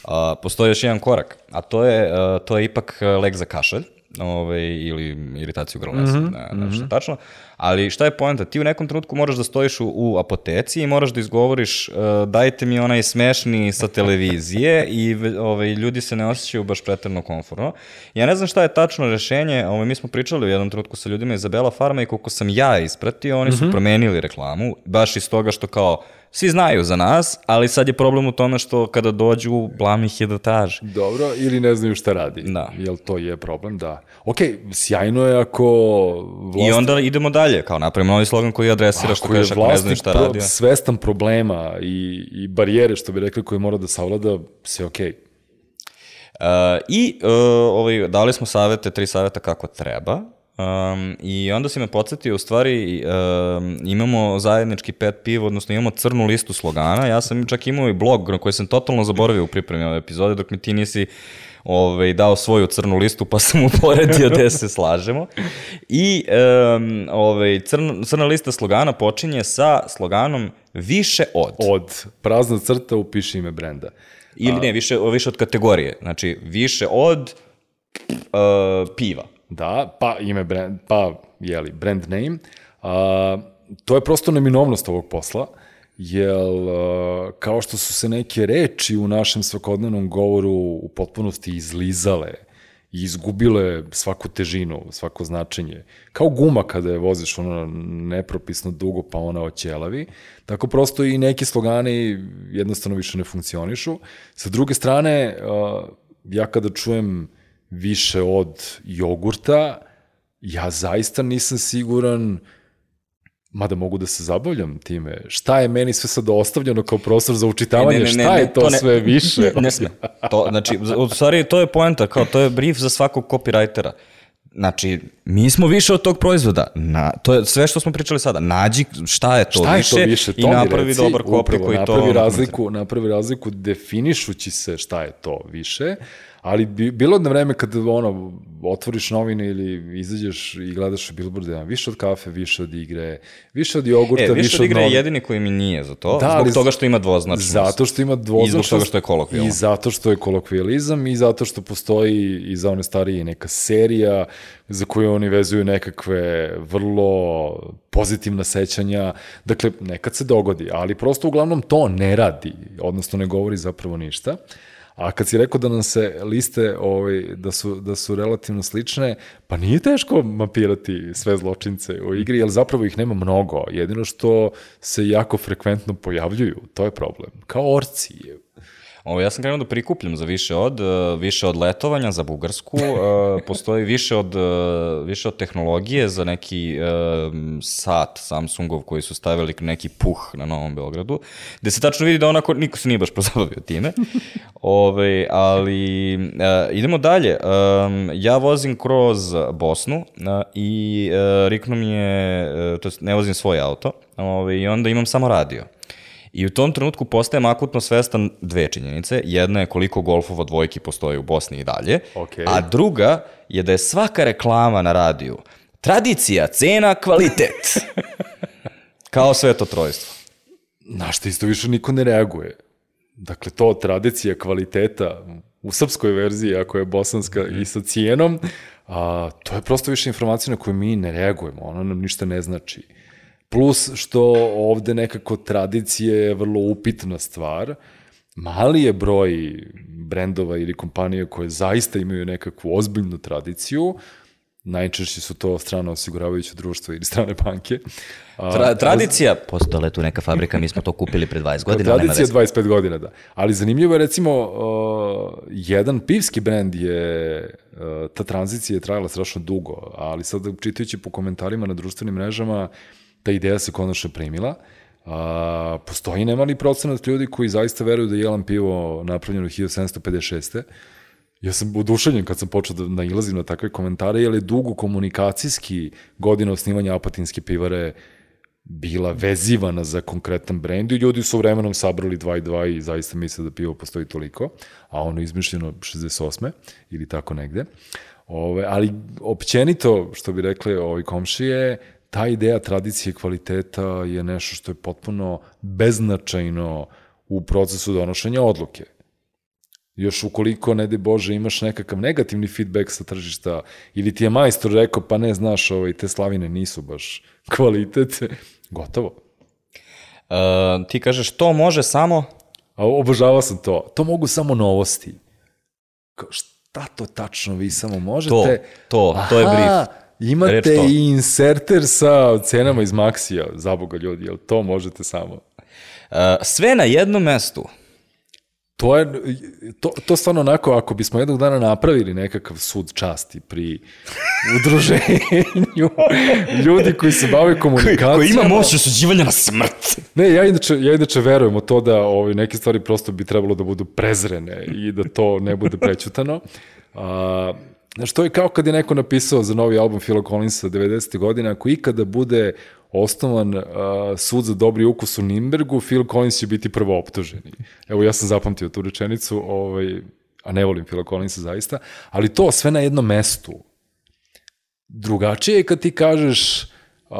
Speaker 1: uh, postoji još jedan korak, a to je, uh, to je ipak lek za kašalj, ove, ili iritaciju grla, mm-hmm. ne, ne, nešto mm-hmm. tačno. Ali šta je poenta? Ti u nekom trenutku moraš da stojiš u, u apoteci i moraš da izgovoriš uh, dajte mi onaj smešni sa televizije i ove, ljudi se ne osjećaju baš preterno komfortno. Ja ne znam šta je tačno rešenje, ove, mi smo pričali u jednom trenutku sa ljudima iz Bela Farma i koliko sam ja ispratio, oni su mm-hmm. promenili reklamu, baš iz toga što kao svi znaju za nas, ali sad je problem u tome što kada dođu, blam ih je da traži.
Speaker 2: Dobro, ili ne znaju šta radi.
Speaker 1: Da.
Speaker 2: Jel to je problem? Da. Ok, sjajno je ako
Speaker 1: vlasnik... I onda idemo dalje, kao napravimo novi slogan koji adresira što kažeš ako ne znaju šta radi. Ako je
Speaker 2: vlasnik svestan problema i, i barijere, što bi rekli, koje mora da savlada, sve ok.
Speaker 1: Uh, I uh, ovaj, dali smo savete, tri saveta kako treba. Um, I onda si me podsjetio, u stvari um, imamo zajednički pet piv, odnosno imamo crnu listu slogana. Ja sam čak imao i blog na koji sam totalno zaboravio u pripremi ove epizode, dok mi ti nisi ovaj, dao svoju crnu listu, pa sam uporedio gde se slažemo. I um, ovaj, crna, crna lista slogana počinje sa sloganom više od.
Speaker 2: Od. Prazna crta, upiši ime brenda.
Speaker 1: Ili A... ne, više, više od kategorije. Znači, više od uh, piva.
Speaker 2: Da, pa ime brand, pa jeli, brand name. A, to je prosto neminovnost ovog posla, jer a, kao što su se neke reči u našem svakodnevnom govoru u potpunosti izlizale i izgubile svaku težinu, svako značenje, kao guma kada je voziš ono nepropisno dugo pa ona oćelavi, tako prosto i neki slogani jednostavno više ne funkcionišu. Sa druge strane, a, ja kada čujem više od jogurta, ja zaista nisam siguran, mada mogu da se zabavljam time, šta je meni sve sad ostavljeno kao prostor za učitavanje, ne, ne, ne, šta ne, je to, to ne, sve više?
Speaker 1: Ne, ne, ne, to, znači, u stvari, to je poenta, kao to je brief za svakog copywritera. Znači, mi smo više od tog proizvoda. Na, to je sve što smo pričali sada. Nađi šta je to, šta više, je to više to i napravi reci, dobar copy koji
Speaker 2: napravi
Speaker 1: to...
Speaker 2: Razliku, napravi razliku definišući se šta je to više, ali bi, bilo jedno vreme kad ono, otvoriš novine ili izađeš i gledaš billboarde, više od kafe, više od igre, više od jogurta,
Speaker 1: e, više,
Speaker 2: više
Speaker 1: od igre
Speaker 2: od
Speaker 1: je jedini koji mi nije za to,
Speaker 2: da,
Speaker 1: zbog
Speaker 2: ali,
Speaker 1: toga što ima dvoznačnost.
Speaker 2: Zato što ima dvoznačnost.
Speaker 1: I zbog toga što je kolokvijalno.
Speaker 2: I zato što je kolokvijalizam i zato što postoji i za one starije neka serija za koju oni vezuju nekakve vrlo pozitivna sećanja. Dakle, nekad se dogodi, ali prosto uglavnom to ne radi, odnosno ne govori zapravo ništa. A kad si rekao da nam se liste ovaj, da, su, da su relativno slične, pa nije teško mapirati sve zločince u igri, jer zapravo ih nema mnogo. Jedino što se jako frekventno pojavljuju, to je problem. Kao orci je.
Speaker 1: Ovo, ja sam krenuo da prikupljam za više od, više od letovanja za Bugarsku, postoji više od, više od tehnologije za neki sat Samsungov koji su stavili neki puh na Novom Beogradu, gde se tačno vidi da onako niko se nije baš pozabavio time. Ove, ali idemo dalje. Ja vozim kroz Bosnu i riknu mi je, to jest ne vozim svoj auto, ove, i onda imam samo radio. I u tom trenutku postajem akutno svestan dve činjenice. Jedna je koliko golfova dvojki postoji u Bosni i dalje,
Speaker 2: okay.
Speaker 1: A druga je da je svaka reklama na radiju tradicija, cena, kvalitet. Kao sveto trojstvo.
Speaker 2: Na što isto više niko ne reaguje. Dakle, to tradicija kvaliteta u srpskoj verziji, ako je bosanska i sa cijenom, a, to je prosto više informacija na koju mi ne reagujemo, ono nam ništa ne znači. Plus što ovde nekako tradicija je vrlo upitna stvar, mali je broj brendova ili kompanija koje zaista imaju nekakvu ozbiljnu tradiciju, najčešće su to strana osiguravajuća društva ili strane banke.
Speaker 1: Tra, tradicija, postojala je tu neka fabrika, mi smo to kupili pre dvadeset godina.
Speaker 2: Tradicija je dvadeset pet godina, da. Ali zanimljivo je recimo, uh, jedan pivski brend je, uh, ta tranzicija je trajala strašno dugo, ali sad čitajući po komentarima na društvenim mrežama, ta ideja se konačno primila. Uh, postoji nemali procenat ljudi koji zaista veruju da je Jelan pivo napravljeno hiljadu sedamsto pedeset šeste. Ja sam oduševljen kad sam počeo da nailazim na takve komentare, jer je dugo komunikacijski godina osnivanja Apatinske pivare bila vezivana za konkretan brend i ljudi su vremenom sabrali dva i dva i zaista misle da pivo postoji toliko, a ono izmišljeno šezdeset osme ili tako negde. Ove, ali općenito, što bi rekli ovi komšije, ta ideja tradicije kvaliteta je nešto što je potpuno beznačajno u procesu donošenja odluke. Još ukoliko, ne daj Bože, imaš nekakav negativni feedback sa tržišta ili ti je majstor rekao, pa ne, znaš, ovaj, te slavine nisu baš kvalitet, gotovo.
Speaker 1: Uh, ti kažeš, to može samo...
Speaker 2: A obožavao sam to. To mogu samo novosti. Kao, šta to tačno vi samo možete?
Speaker 1: To, to,
Speaker 2: Aha,
Speaker 1: to je brief.
Speaker 2: Imate i inserter sa cenama iz Maxija, za Boga ljudi, jel to možete samo?
Speaker 1: Uh, sve na jednom mestu.
Speaker 2: To je, to, to stvarno onako, ako bismo jednog dana napravili nekakav sud časti pri udruženju ljudi koji se bave komunikacijama.
Speaker 1: Koji, koji ima moć osuđivanja na smrt.
Speaker 2: Ne, ja inače, ja inače verujem u to da ovi, neke stvari prosto bi trebalo da budu prezrene i da to ne bude prećutano. A, znaš, to je kao kad je neko napisao za novi album Phila Collinsa devedesetih godina, ako ikada bude osnovan uh, sud za dobri ukus u Nimbergu, Phil Collins će biti prvo optuženi. Evo, ja sam zapamtio tu rečenicu, ovaj, a ne volim Phila Collinsa zaista, ali to sve na jednom mestu. Drugačije je kad ti kažeš uh,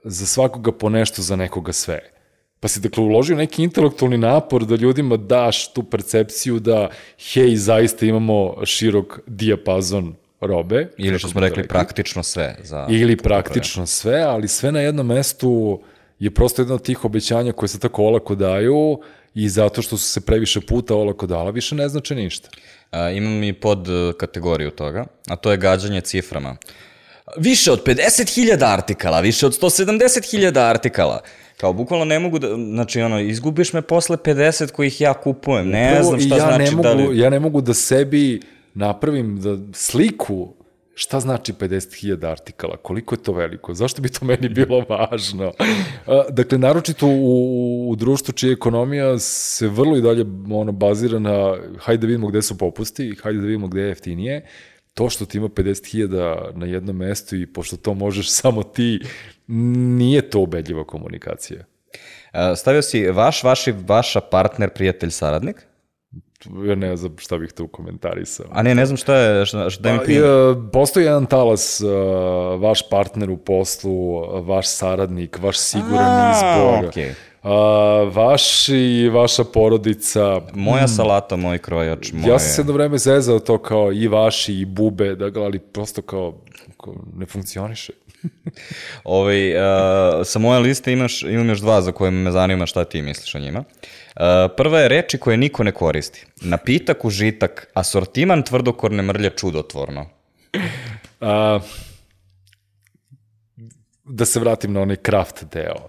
Speaker 2: za svakoga po nešto, za nekoga sve. Pa si dakle uložio neki intelektualni napor da ljudima daš tu percepciju da, hej, zaista imamo širok dijapazon robe.
Speaker 1: Ili što smo rekli, rekli, praktično sve. Za
Speaker 2: Ili praktično sve, ali sve na jednom mestu je prosto jedno od tih obećanja koje se tako olako daju i zato što su se previše puta olako dala, više ne znači ništa.
Speaker 1: A, imam i pod kategoriju toga, a to je gađanje ciframa. Više od pedeset hiljada artikala, više od sto sedamdeset hiljada artikala. Kao, bukvalno ne mogu da, znači, ono, izgubiš me posle pedeset kojih ja kupujem, ne Upravo, znam šta
Speaker 2: ja
Speaker 1: znači
Speaker 2: ne mogu,
Speaker 1: da li...
Speaker 2: Ja ne mogu da sebi napravim da sliku šta znači pedeset hiljada artikala, koliko je to veliko, zašto bi to meni bilo važno. Dakle, naročito u, u društvu čija ekonomija se vrlo i dalje ono, bazira na hajde da vidimo gde su popusti, hajde da vidimo gde je jeftinije, to što ti ima pedeset hiljada na jednom mestu i pošto to možeš samo ti, nije to ubedljiva komunikacija.
Speaker 1: Stavio si vaš, vaši, vaša partner, prijatelj, saradnik?
Speaker 2: Ja ne znam šta bih to komentarisao.
Speaker 1: A ne, ne znam šta je, šta, šta mi prije.
Speaker 2: Postoji jedan talas, uh, vaš partner u poslu, vaš saradnik, vaš siguran A, izbor, okay. uh, vaš i vaša porodica.
Speaker 1: Moja salata, moj krojač, moje...
Speaker 2: Ja sam se jedno vreme zezao to kao i vaši i bube, da, ali prosto kao, kao ne funkcioniše.
Speaker 1: Ovaj, uh, sa moje liste imaš, imam još dva za koje me zanima šta ti misliš o njima. Uh, prva je reči koje niko ne koristi. Napitak, užitak, asortiman tvrdokorne mrlje čudotvorno.
Speaker 2: Uh, da se vratim na onaj kraft deo.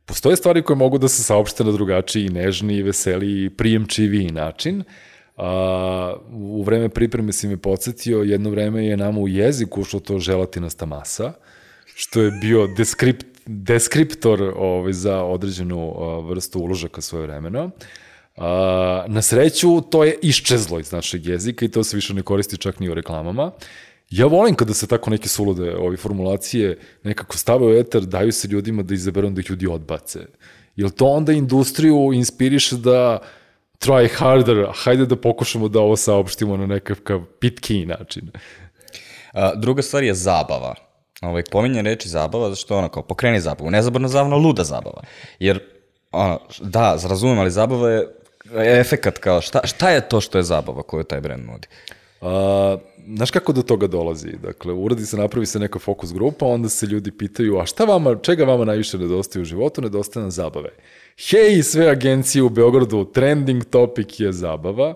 Speaker 2: Postoje stvari koje mogu da se saopšte na drugačiji, nežniji, veseliji, prijemčiviji način. Uh, u vreme pripreme si me podsjetio, jedno vreme je nama u jeziku ušlo to želatinasta masa, što je bio deskript, deskriptor ovaj, za određenu uh, vrstu uložaka svoje vremena. Uh, na sreću, to je iščezlo iz našeg jezika i to se više ne koristi čak ni u reklamama. Ja volim kada se tako neke sulude ove formulacije nekako stave u etar, daju se ljudima da izaberu da ih ljudi odbace. Jer to onda industriju inspiriše da try harder, hajde da pokušamo da ovo saopštimo na nekakav pitkiji način.
Speaker 1: A, druga stvar je zabava. ovaj, pominje reči zabava, zašto ono kao pokreni zabavu, nezaborna zabavna, luda zabava. Jer, ono, da, razumem, ali zabava je efekat kao, šta, šta je to što je zabava koju taj brand nudi?
Speaker 2: A, znaš kako do toga dolazi? Dakle, uradi se, napravi se neka fokus grupa, onda se ljudi pitaju, a šta vama, čega vama najviše nedostaje u životu? Nedostaje nam zabave. Hej, sve agencije u Beogradu, trending topic je zabava.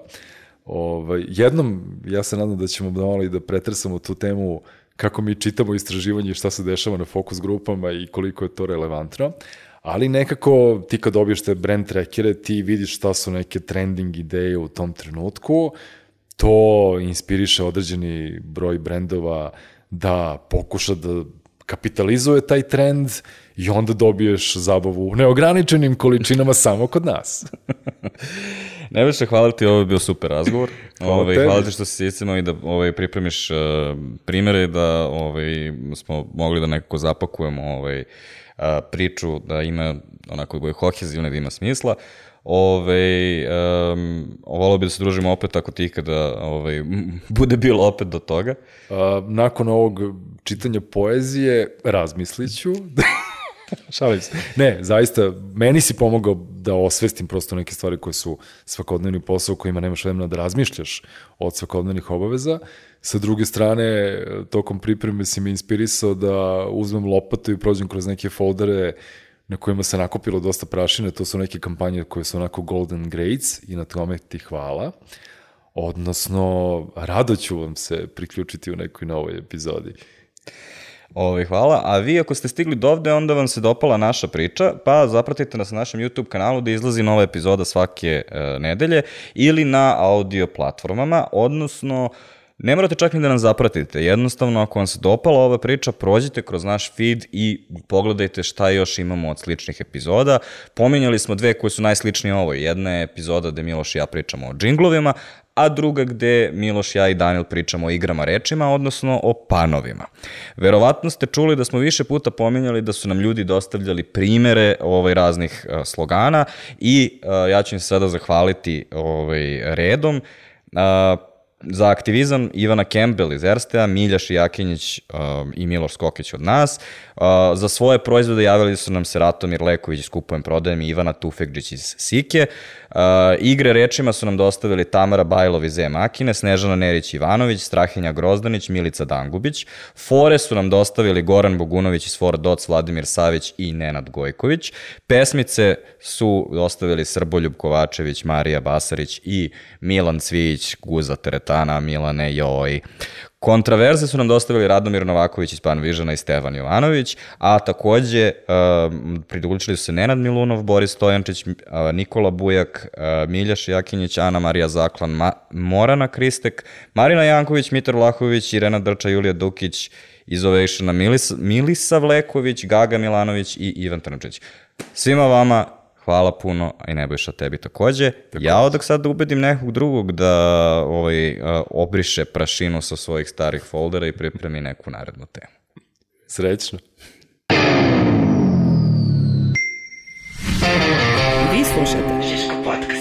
Speaker 2: Ovaj, jednom, ja se nadam da ćemo malo i da pretresamo tu temu kako mi čitamo istraživanje i šta se dešava na fokus grupama i koliko je to relevantno. Ali nekako ti kad dobiješ te brand trackere, ti vidiš šta su neke trending ideje u tom trenutku, to inspiriše određeni broj brendova da pokuša da kapitalizuje taj trend i onda dobiješ zabavu u neograničenim količinama samo kod nas.
Speaker 1: Nebojša, hvala ti, ovo je bio super razgovor.
Speaker 2: Hvala
Speaker 1: ovaj,
Speaker 2: tebi.
Speaker 1: hvala ti što si iscimao i da ovaj, pripremiš uh, primere, da ovaj, smo mogli da nekako zapakujemo ovaj, uh, priču, da ima onako bude kohezivne, da ima smisla. Ove, um, volao bi da se družimo opet ako ti ikada ovaj, bude bilo opet do toga.
Speaker 2: A, nakon ovog čitanja poezije razmislit ću. Šalim se. Ne, zaista, meni si pomogao da osvestim prosto neke stvari koje su svakodnevni posao, kojima nemaš vremena da razmišljaš od svakodnevnih obaveza. Sa druge strane, tokom pripreme si me inspirisao da uzmem lopatu i prođem kroz neke foldere na kojima se nakupilo dosta prašine. To su neke kampanje koje su onako golden grades i na tome ti hvala. Odnosno, rado ću vam se priključiti u nekoj novoj epizodi.
Speaker 1: Ovi, hvala, a vi ako ste stigli do ovde, onda vam se dopala naša priča, pa zapratite nas na našem YouTube kanalu da izlazi nova epizoda svake e, nedelje ili na audio platformama, odnosno ne morate čak ni da nam zapratite, jednostavno ako vam se dopala ova priča, prođite kroz naš feed i pogledajte šta još imamo od sličnih epizoda. Pominjali smo dve koje su najsličnije ovoj, jedna je epizoda gde Miloš i ja pričamo o džinglovima, a druga gde Miloš, ja i Daniel pričamo o igrama rečima, odnosno o panovima. Verovatno ste čuli da smo više puta pominjali da su nam ljudi dostavljali primere ovaj, raznih uh, slogana i uh, ja ću im se sada zahvaliti ovaj, redom. Uh, Za aktivizam Ivana Campbell iz Erstea, Milja Šijakinjić um, i Miloš Skokić od nas. Uh, za svoje proizvode javili su nam se Ratomir Leković iz Kupujem prodajem i Ivana Tufekđić iz Sike. Uh, igre rečima su nam dostavili Tamara Bajlov iz E-Makine, Snežana Nerić-Ivanović, Strahinja Grozdanić, Milica Dangubić. Fore su nam dostavili Goran Bogunović iz Fora Doc, Vladimir Savić i Nenad Gojković. Pesmice su dostavili Srboljub Kovačević, Marija Basarić i Milan Cvijić, Guza Teretana, Milane, joj. Kontraverze su nam dostavili Radomir Novaković iz Panvižana i Stevan Jovanović, a takođe uh, pridružili su se Nenad Milunov, Boris Stojančić, uh, Nikola Bujak, uh, Milja Šijakinjić, Ana Marija Zaklan, Ma Morana Kristek, Marina Janković, Mitar Vlahović, Irena Drča, Julija Dukić, iz Ovejšana Milisa, Milisa Vleković, Gaga Milanović i Ivan Trnčić. Svima vama hvala puno, a i Nebojša tebi takođe. Tako ja odak sad da ubedim nekog drugog da ovaj, obriše prašinu sa svojih starih foldera i pripremi neku narednu temu.
Speaker 2: Srećno.
Speaker 3: Vi slušate Žiško podcast.